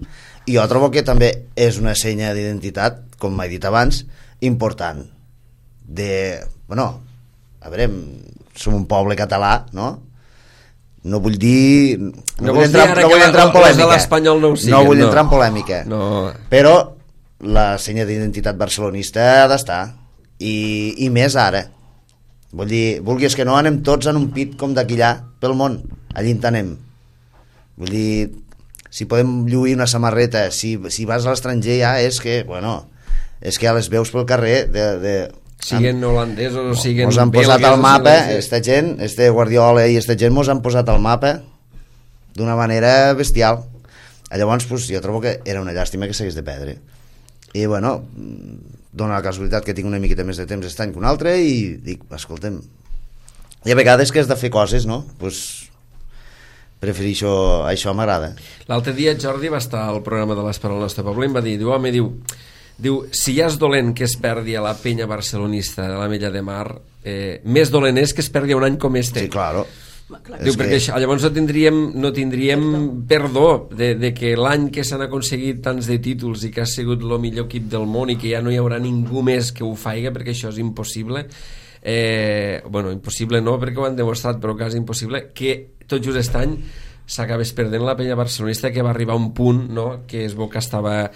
i jo trobo que també és una senya d'identitat, com m'he dit abans, important. De... Bueno, a veure, som un poble català, no? No vull dir... No, No vull vols entrar, dir ara no que vull entrar en els de polèmica. l'Espanyol no ho siguin, no vull no. entrar en polèmica. No. Però la senya d'identitat barcelonista ha d'estar. I, I més ara. Vull dir, vulguis que no, anem tots en un pit com d'aquí allà pel món. Allí en anem. Vull dir, si podem lluir una samarreta, si, si vas a l'estranger ja és que, bueno, és que ja les veus pel carrer de... de Siguen holandesos o siguen... mos han posat belgues al o mapa, siguen- esta gent, este Guardiola i esta gent mos han posat al mapa d'una manera bestial. Llavors, pues, jo trobo que era una llàstima que s'hagués de perdre. I, bueno, dona la casualitat que tinc una miqueta més de temps aquest any que un altre i dic, escolta'm, hi ha vegades que has de fer coses, no? Pues, prefereixo, això m'agrada. L'altre dia Jordi va estar al programa de l'Esper al nostre poble i em va dir, diu, home, diu, diu, si ja és dolent que es perdi a la penya barcelonista de la Mella de Mar, eh, més dolent és que es perdi un any com este. Sí, claro. Diu, És perquè que- això, llavors no tindríem, no tindríem perdó de, de que l'any que s'han aconseguit tants de títols i que ha sigut el millor equip del món i que ja no hi haurà ningú més que ho faiga, perquè això és impossible, eh, bueno, impossible no perquè ho han demostrat, però quasi impossible, que tot just aquest any s'acabés perdent la penya barcelonista, que va arribar a un punt, no?, que es veu que estava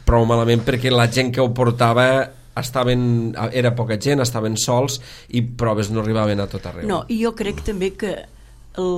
prou malament perquè la gent que ho portava estaven, era poca gent, estaven sols i proves no arribaven a tot arreu. No, i jo crec també que el,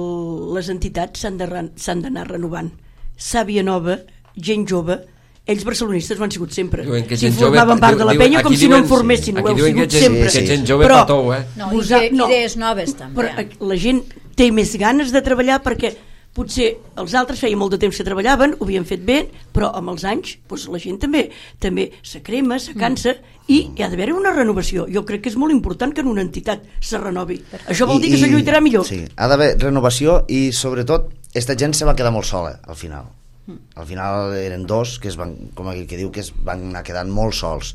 les entitats s'han de, ren- s'han d'anar renovant. Sàvia nova, gent jove, ells barcelonistes ho han sigut sempre. Diuen que Si gent jove- formaven part de la diu- penya aquí com si no diuen- en formessin, aquí ho heu diuen que sigut gent- sempre. que gent jove Però patou, eh? No, i vosa- ide- idees noves, també. Però eh, la gent té més ganes de treballar perquè potser els altres feia molt de temps que treballaven, ho havien fet bé, però amb els anys doncs la gent també també se crema, se cansa i hi ha d'haver una renovació. Jo crec que és molt important que en una entitat se renovi. Això vol I- dir que se i- lluitarà millor. Sí, ha d'haver renovació i sobretot esta gent se va quedar molt sola al final. Al final eren dos que es van, com aquell que diu, que es van anar quedant molt sols.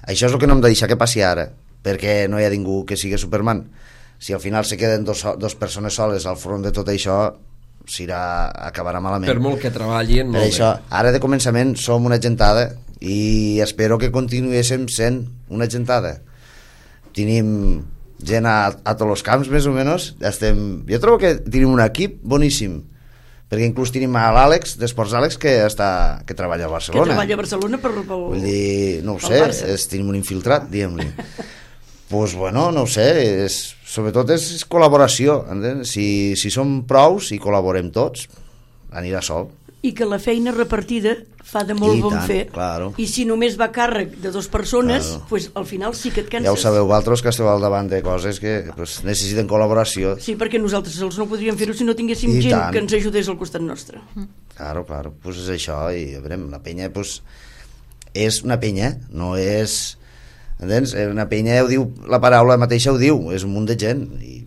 Això és el que no hem de deixar que passi ara, perquè no hi ha ningú que sigui Superman. Si al final se queden dos, dos persones soles al front de tot això, s'irà, acabarà malament. Per molt que treballin, per molt això, bé. ara de començament som una gentada i espero que continuéssim sent una gentada. Tenim gent a, a tots els camps, més o menys. Estem... Jo trobo que tenim un equip boníssim, perquè inclús tenim a l'Àlex, d'Esports Àlex, que, està, que treballa a Barcelona. Que treballa a Barcelona per, pel, Vull dir, no ho sé, Barça. és, tenim un infiltrat, diguem-li. Pues bueno, no ho sé, és, sobretot és, és col·laboració, entens? Si, si som prous i col·laborem tots, anirà sol. I que la feina repartida fa de molt I bon tant, fer. claro. I si només va a càrrec de dues persones, Claro. pues, al final sí que et canses. Ja ho sabeu, vosaltres que esteu al davant de coses que pues, necessiten col·laboració. Sí, perquè nosaltres sols no podríem fer-ho si no tinguéssim I gent tant. que ens ajudés al costat nostre. Claro, claro, pues és això, i a veure, la penya pues, és una penya, no és... Entens? Una penya, ho diu, la paraula mateixa ho diu, és un munt de gent, i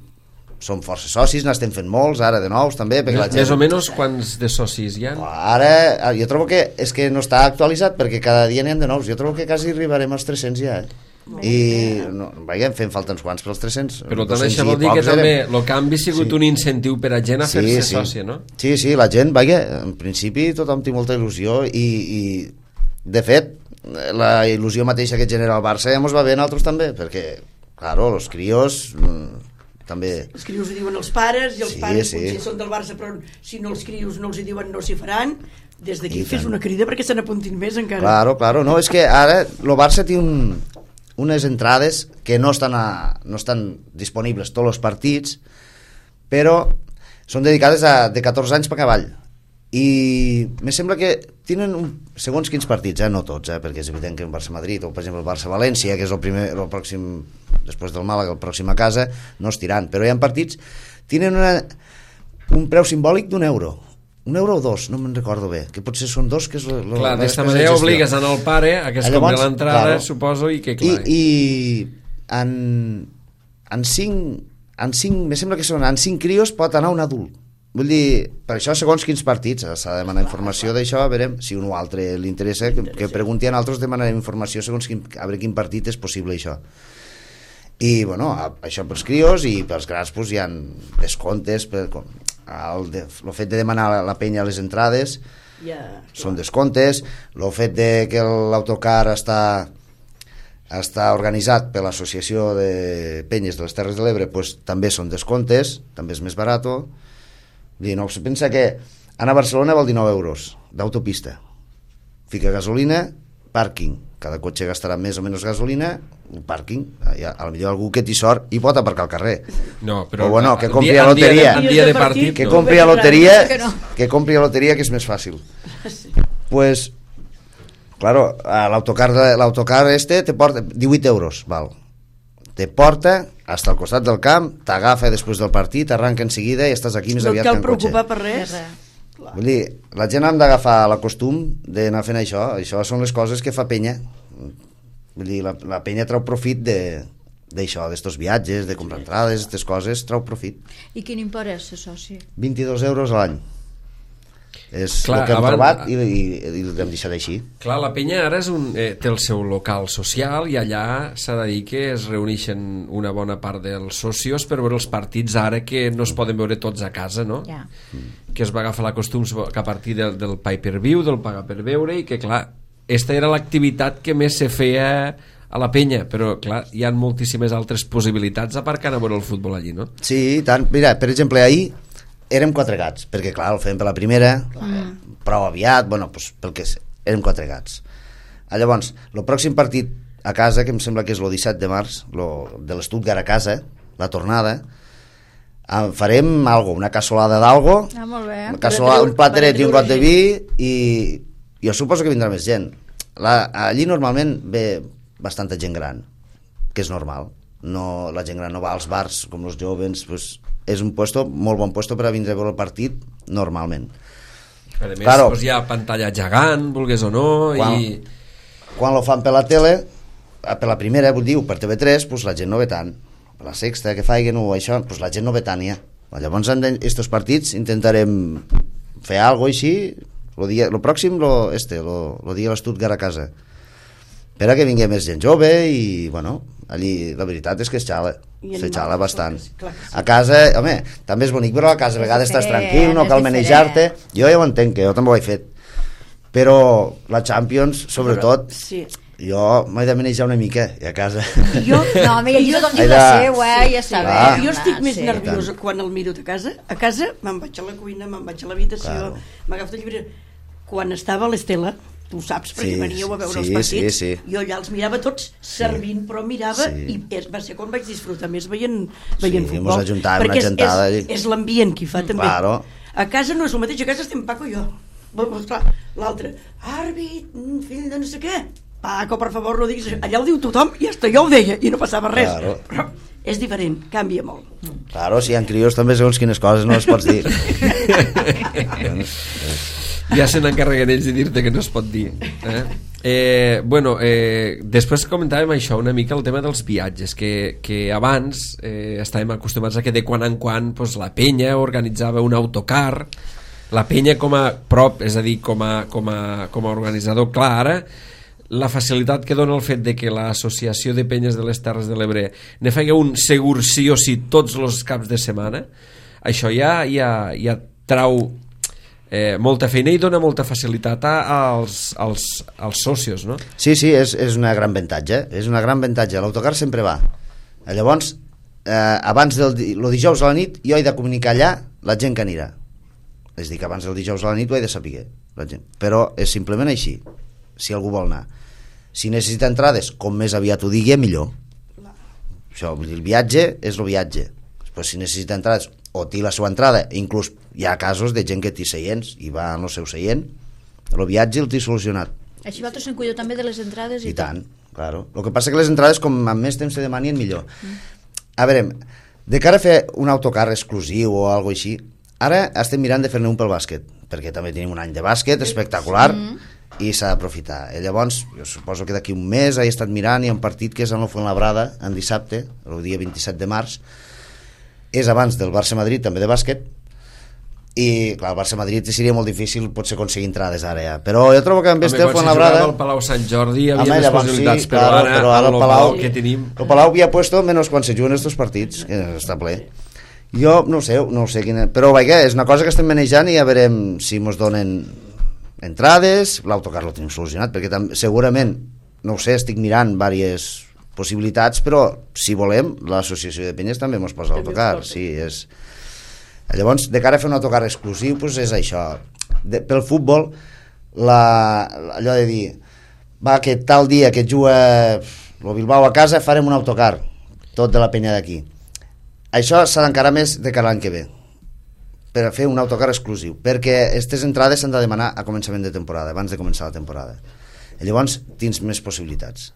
som força socis, n'estem fent molts, ara de nous també, perquè la gent... Més o menys quants de socis hi ha? Ara, jo trobo que és que no està actualitzat, perquè cada dia n'hi ha de nous, jo trobo que quasi arribarem als tres-cents ja, eh? I no, vaja, fem falta uns quants per als tres-cents. Però també això vol dir que també el canvi ha sigut Sí. un incentiu per a gent a Sí, fer-se sí. sòcia, no? Sí, sí, la gent, vaja, en principi tothom té molta il·lusió i, i de fet, la il·lusió mateixa que genera el Barça ja mos va bé a nosaltres també, perquè, claro, els crios mm, també... Els crios ho diuen els pares, i els Sí, pares sí. potser són del Barça, però si no els crios no els hi diuen no s'hi faran. Des d'aquí I fes tant. una crida perquè se n'apuntin més encara. Claro, claro, no, és que ara el Barça té un, unes entrades que no estan, a, no estan disponibles tots els partits, però són dedicades a de catorze anys per cavall. I me sembla que tenen un, segons quins partits, eh? No tots, eh? Perquè és evident que el Barça-Madrid o per exemple el Barça-València, que és el primer, el pròxim, després del Màlaga, el pròxim a casa, no es tiran, però hi ha partits tenen una, un preu simbòlic d'un euro, un euro o dos, no me'n recordo bé, que potser són dos, que és lo, lo, Clar, la d'esta despesa de manera gestió. obligues anar al pare a que es Llavors, compri l'entrada, claro. suposo, i que I, clar... i en, en cinc en cinc, me sembla que són en cinc crios pot anar un adult. Vull dir, per això segons quins partits s'ha de demanar informació d'això, a veure si un o altre li interessa, que, que pregunti a altres, demanarem informació segons quin, a veure quin partit és possible això. I bueno, això pels crios, i pels grans pues, hi ha descomptes per, com, el, de, el fet de demanar a la penya les entrades Ja, són descomptes, el fet de que l'autocar està està organitzat per l'Associació de Penyes de les Terres de l'Ebre, pues, també són descomptes, també és més barato. Dir, no, pensa que anar a Barcelona vol dinou euros d'autopista, fica gasolina, pàrquing, cada cotxe gastarà més o menys gasolina, un pàrquing, ja, a lo millor algú que t'hi sort i pot aparcar al carrer. No, però... O bueno, que en compri dia- a en dia de- loteria. En dia de partit, Que no. compri a loteria, Que no. que compri a loteria, que és més fàcil. Pues, claro, a l'autocar de- l'autocar este te porta divuit euros, val. Te porta hasta al costat del camp, t'agafa després del partit, arranca en seguida i estàs aquí més no et aviat cal que en cotxe. preocupar per res. Vull dir, la gent han d'agafar la costum d'anar fent això. Això són les coses que fa penya. Vull dir, la, la penya trau profit de d'això, d'estos viatges, de comprar entrades, aquestes coses, trau profit. I quin import és ser soci? vint-i-dos euros a l'any. És Clar, el que hem abans- trobat i, i, i l'hem deixat així. Clar, la penya ara és un, eh, té el seu local social i allà s'ha de dir que es reuneixen una bona part dels socios per veure els partits ara que no es poden veure tots a casa, no? Ja. Que es va agafar la costum que a partir del, del pay-per-view, del pagar per veure, i que clar, esta era l'activitat que més se feia a la penya, però clar, hi ha moltíssimes altres possibilitats aparcant a veure el futbol allí, no? Sí, i tant. Mira, per exemple, ahir érem quatre gats, perquè clar, el fem per la primera, mm. prou aviat, bueno, doncs pel que és, érem quatre gats. Ah, llavors, el pròxim partit a casa, que em sembla que és el disset de març, lo, de l'Stuttgart a casa, la tornada, ah, farem algo, una cassolada d'algo, Ah, molt bé. una cassolada, un plateret i un got de gent. vi, i jo suposo que vindrà més gent. La, allí normalment ve bastanta gent gran, que és normal. No, la gent gran no va als bars com els jovens, pues, és un puesto, molt bon puesto per a vindre a veure el partit normalment. A més, Claro. doncs hi ha pantalla gegant, vulgués o no, Quan, i... quan lo fan per la tele, per la primera, vull dir, per T V tres, pues, la gent no ve tant. Per la sexta, que faiguen o això, pues, la gent no ve tant ja. Llavors, en estos partits intentarem fer alguna cosa així, lo, dia, lo pròxim, lo, este, lo, lo dia l'Stuttgart a casa. Per a que vingui més gent jove i, bueno, allí la veritat és que es xala, se xala bastant. A casa, home, també és bonic, però a casa a vegades estàs tranquil, no cal manejar-te. Jo ja ho entenc, que jo també ho he fet. Però la Champions, sobretot, sí. jo m'he de manejar una mica, i a casa... Jo, no, mira, jo tothom diu la seva, eh, ja està bé. Jo estic més sí, nerviosa quan el miro de casa. A casa me'n vaig a la cuina, me'n vaig a l'habitació, claro. M'agafo el llibre. Quan estava a l'Estela, tu saps, perquè sí, veníeu a veure sí, els partits, sí, sí. Jo allà els mirava tots servint, sí. Però mirava sí. I va ser quan vaig disfrutar més veient, veient sí, futbol, perquè és, és, és l'ambient qui fa també. Claro. A casa no és el mateix, a casa estem Paco i jo, l'altre, àrbit, fill de no sé què, Paco, per favor, no diguis, allà ho diu tothom i hasta jo ho deia i no passava res, claro. Però és diferent, canvia molt. Claro, si hi ha crios també segons quines coses no les pots dir. Ja se n'encarreguen ells de dir-te que no es pot dir. Eh? Eh, bueno, eh, després comentàvem això, una mica el tema dels viatges, que, que abans eh, estàvem acostumats a que de quan en quan pues, la penya organitzava un autocar, la penya com a prop, és a dir, com a, com a, com a organitzador. Clar, ara la facilitat que dona el fet de que l'Associació de Penyes de les Terres de l'Ebre ne faci un segur sí o sí tots els caps de setmana, això ja, ja, ja trau eh, molta feina i dona molta facilitat als, als, als socios, no? Sí, sí, és, és una gran avantatge, és una gran avantatge. L'autocar sempre va. Llavors, eh, abans del el dijous a la nit, jo he de comunicar allà la gent que anirà. És a dir, que abans del dijous a la nit ho he de saber, la gent. Però és simplement així, si algú vol anar. Si necessita entrades, com més aviat ho digui, millor. Això, el viatge és el viatge. Pues si necessita entrades o té la seva entrada, inclús hi ha casos de gent que té seients i va al seu seient, el viatge el té solucionat. Així vosaltres se'n cuideu també de les entrades i, i tant, claro. El que passa que les entrades, com amb més temps se demanien, millor. Mm. A veure, de cara a fer un autocar exclusiu o alguna així, ara estem mirant de fer-ne un pel bàsquet, perquè també tenim un any de bàsquet espectacular mm. i s'ha d'aprofitar. I llavors, jo suposo que d'aquí un mes he estat mirant i hi ha un partit que és en el Fuenlabrada, en dissabte, el dia vint-i-set de març, és abans del Barça-Madrid, també de bàsquet, i clar, el Barça-Madrid seria molt difícil potser aconseguir entrades ara ja. Però jo trobo que amb este el Fuenlabrada... Quan si jugava al Palau Sant Jordi hi havia més possibilitats, sí, però, claro, ara, però ara el Palau que tenim... El Palau havia puesto menos quan se juguen estos partits, que està ple. Jo no sé, no sé quina... Però vaja, és una cosa que estem manejant i ja veurem si mos donen entrades, l'autocar lo tenim solucionat, perquè tam... segurament, no ho sé, estic mirant diverses possibilitats, però si volem l'associació de penyes també mos posa l'autocar, sí, és... Llavors, de cara a fer un autocar exclusiu, doncs és això. De, pel futbol, la, allò de dir, va, que tal dia que juga el Bilbao a casa, farem un autocar, tot de la penya d'aquí. Això s'ha d'encarar més de cara l'any que ve, per a fer un autocar exclusiu, perquè aquestes entrades s'han de demanar a començament de temporada, abans de començar la temporada. I llavors tens més possibilitats.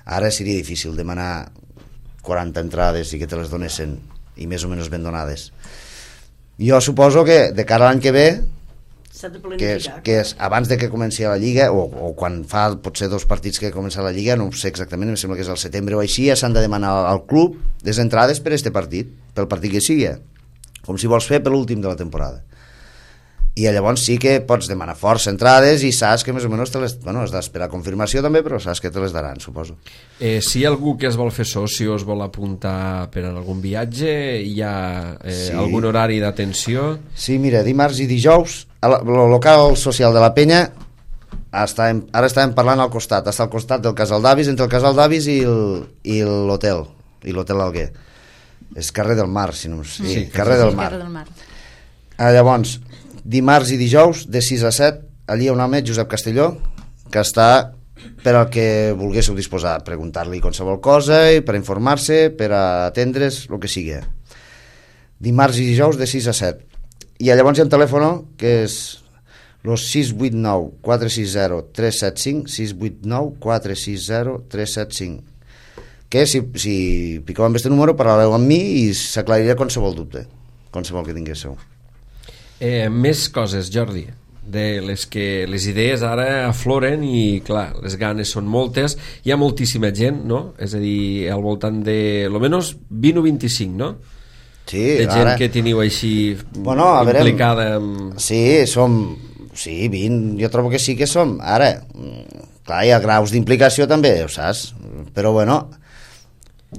Ara seria difícil demanar quaranta entrades i que te les donessin, i més o menys ben donades. Jo suposo que de cara a l'any que ve, que és, que és abans de que comenci la Lliga, o, o quan fa potser dos partits que comença la Lliga, no ho sé exactament, em sembla que és al setembre o així, ja s'han de demanar al club les entrades per este partit, pel partit que sigui, com si vols fer per l'últim de la temporada. I llavors sí que pots demanar força entrades i saps que més o menys te les... Bueno, has d'esperar confirmació també, però saps que te les daran, suposo. Eh, si hi ha algú que es vol fer soci o es vol apuntar per a algun viatge, hi ha eh, sí. algun horari d'atenció? Sí, mira, dimarts i dijous, el local social de la penya, estàvem, ara estàvem parlant al costat, està al costat del Casal d'Avis, entre el Casal d'Avis i l'hotel, i l'hotel Alguer. És carrer del Mar, si no... Sí, sí, carrer del Mar. Carrer del Mar. Ah, llavors... dimarts i dijous de sis a set allí hi ha un home, Josep Castelló, que està per al que volguéssiu disposar, preguntar-li qualsevol cosa i per informar-se, per a atendre's el que sigui. Dimarts i dijous de sis a set. I llavors hi ha un telèfon que és los sis vuit nou quatre sis zero tres set cinc, sis vuit nou quatre sis zero tres set cinc, que si, si piqueu amb aquest número parlareu amb mi i s'aclarirà qualsevol dubte, qualsevol que tinguéssiu. Eh, més coses, Jordi, de les que les idees ara afloren i clar, les ganes són moltes, hi ha moltíssima gent, no? És a dir, al voltant de almenys vint o vint-i-cinc, no? Sí, de gent ara... que teniu així bueno, implicada en... Sí, som, sí, vint, jo trobo que sí que som. Ara, clar, hi ha graus d'implicació també, ho saps? Però bueno,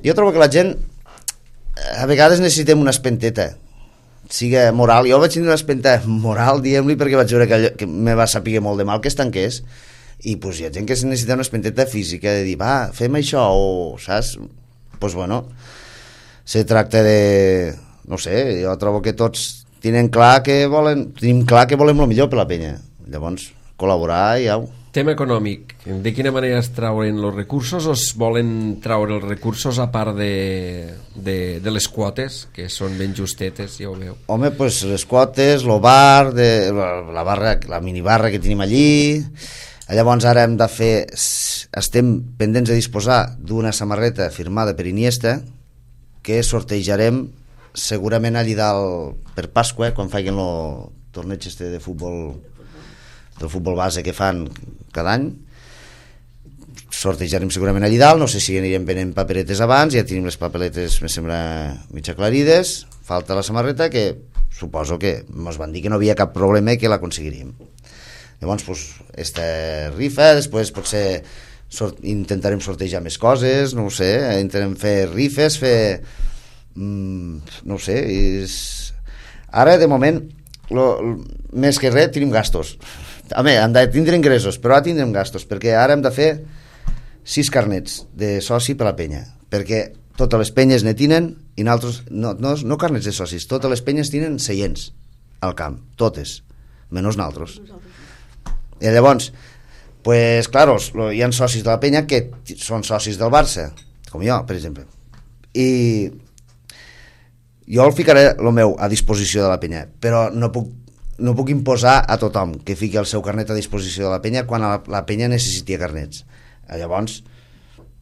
jo trobo que la gent a vegades necessitem una espenteta, siga moral. Jo vaig tenir una espenta moral, diguem-li, perquè vaig veure que, allò, que me va saber molt de mal que es tanqués, i pues, hi ha gent que necessita una espenteta física de dir, va, fem això, o saps? Doncs pues, bueno, se tracta de, no sé, jo trobo que tots tenen clar que volen, tenim clar que volem el millor per la penya, llavors col·laborar i au. Tema econòmic, de quina manera es trauen els recursos o es volen traure els recursos a part de, de, de les quotes, que són ben justetes, ja ho veu? Home, pues les quotes, el bar, de, la, barra, la minibarra que tenim allí, llavors ara hem de fer, estem pendents de disposar d'una samarreta firmada per Iniesta que sortejarem segurament allí dalt per Pasqua, quan facin el torneig este de futbol, del futbol base que fan cada any. Sortejarem segurament allí dalt, no sé si anirem venent paperetes abans, ja tenim les papeletes, me sembla, mig aclarides, falta la samarreta, que suposo que ens van dir que no havia cap problema i que l'aconseguiríem. Llavors, pues, esta rifa, després potser sort, intentarem sortejar més coses, no ho sé, intentarem fer rifes, fer... Mm, no ho sé, és... Ara, de moment, lo, lo, més que res, tenim gastos. A més, hem de tindre ingressos, però ara tindrem gastos, perquè ara hem de fer sis carnets de soci per la penya, perquè totes les penyes ne tenen i nosaltres, no, no, no carnets de socis, totes les penyes tenen seients al camp, totes, menys nosaltres. I llavors, pues, claro, hi ha socis de la penya que són socis del Barça, com jo, per exemple, i jo el ficaré el meu a disposició de la penya, però no puc, no puc imposar a tothom que fiqui el seu carnet a disposició de la penya quan la, la penya necessiti carnets. Llavors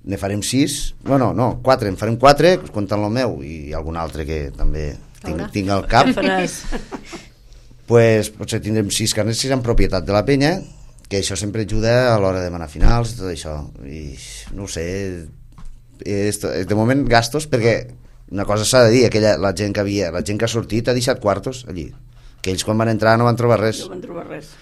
ne farem sis, bueno, no, quatre, en farem quatre comptant el meu i algun altre que també tinc, tinc al cap. Pues, potser tindrem sis carnets que seran propietat de la penya, que això sempre ajuda a l'hora de demanar finals i tot això, i no ho sé, és, de moment gastos, perquè una cosa s'ha de dir, aquella, la gent que havia, la gent que ha sortit ha deixat quartos allí, que ells quan van entrar no van trobar res. No van trobar res.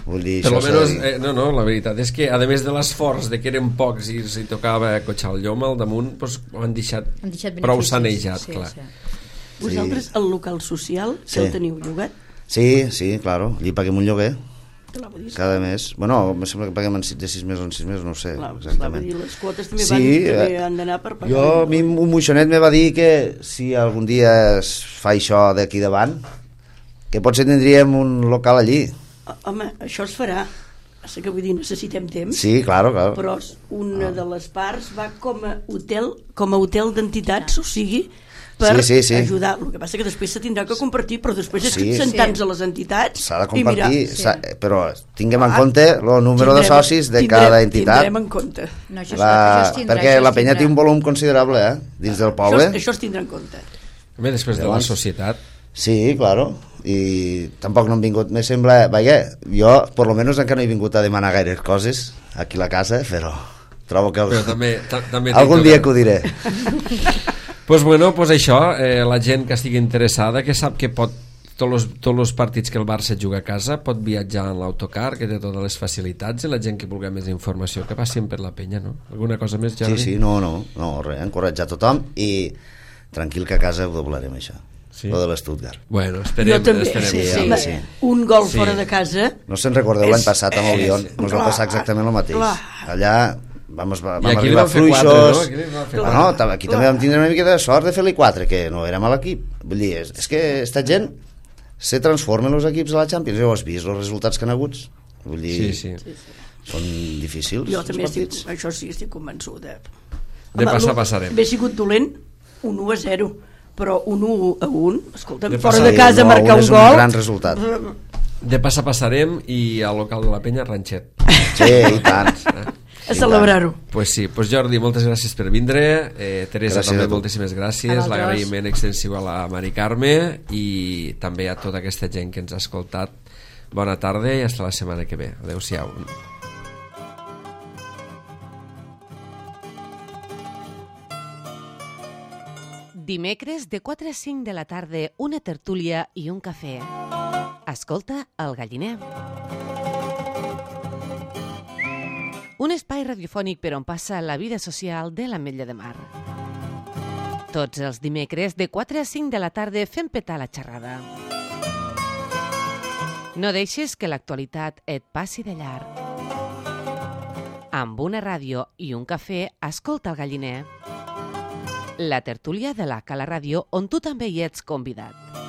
Vull dir, per almenys, eh, no, no, la veritat és que a més de l'esforç de que eren pocs i si tocava cotxar el llom al damunt, doncs, ho han deixat, han deixat prou sanejat, sí, clar. Sí. Vosaltres el local social sí. Que el teniu llogat? Sí, sí, claro, allí paguem un lloguer cada mes. Bueno, em sembla que paguem en de sis mesos en sis mesos, no sé clar, exactament. Dir, les quotes també, sí, van, també han d'anar per pagar. Jo, a mi un moixonet me va dir que si algun dia es fa això d'aquí davant, que potser tindríem un local allí. Home, això es farà. Passa que vull dir, necessitem temps. Sí, claro, claro. Però una ah. de les parts va com a hotel, com a hotel d'entitats, o sigui, per sí, sí, sí. ajudar. El que passa que després se tindrà que compartir, però després és sí. que sentar-nos sí. a les entitats s'ha de compartir, sí. però tinguem en compte el número tindrem, de socis de tindrem, cada entitat. Tindrem en compte. No, això la, això tindrà, perquè això la penya té un volum considerable eh, dins del poble. Això, això es tindrà en compte. A més, després Llavors, de la societat. Sí, claro. I tampoc no hem vingut, me sembla, vaja, jo per lo menos encara no he vingut a demanar gaires coses aquí a la casa, però trobo que el... però també, també algun dia que ho diré. Pues bueno, pues això, eh, la gent que estigui interessada, que sap que pot tots els, tots els partits que el Barça juga a casa, pot viatjar en l'autocar, que té totes les facilitats, i la gent que vulgui més informació que passin per la penya, no? Alguna cosa més, Jordi? Sí, sí, no, no, no res, encoratjar tothom i tranquil que a casa ho doblarem això. Sí. Lo de l'Stuttgart. Bueno, esperem, jo també, esperem. Sí, sí, sí. Un gol sí. fora de casa. No se'n recordeu és... l'any passat amb el Lyon, ens va passar exactament el mateix. Clar. Allà vam, vam arribar fluixos. No? Ah, no, aquí clar. També vam tindre una mica de sort de fer-li quatre, que no era mal equip. Vull dir, és, és que esta gent se transformen els equips a la Champions. Ja ho has vist, els resultats que han hagut. Vull dir, sí, sí. Sí, sí. Són difícils. Jo també estic, això sí, estic convençuda. De passar passarem. Hauria sigut dolent un u a zero, però un u a un, escolta'm, fora de casa no, marcar un, un gol... un gran resultat. De passar passarem i al local de la penya ranxet. Sí, i tant. A celebrar-ho. Pues sí, pues Jordi, moltes gràcies per vindre. Eh, Teresa, gràcies també moltíssimes gràcies. L'agraïment extensiu a la Mari Carme i també a tota aquesta gent que ens ha escoltat. Bona tarda i fins la setmana que ve. Adéu-siau. Dimecres de quatre a cinc de la tarda, una tertúlia i un cafè. Escolta El Galliner. un espai radiofònic per on passa la vida social de l'Ametlla de Mar. Tots els dimecres de quatre a cinc de la tarda fem petar la xerrada. No deixes que l'actualitat et passi de llarg. Amb una ràdio i un cafè, escolta el Galliner. La tertúlia de la Cala Ràdio, on tu també hi ets convidat.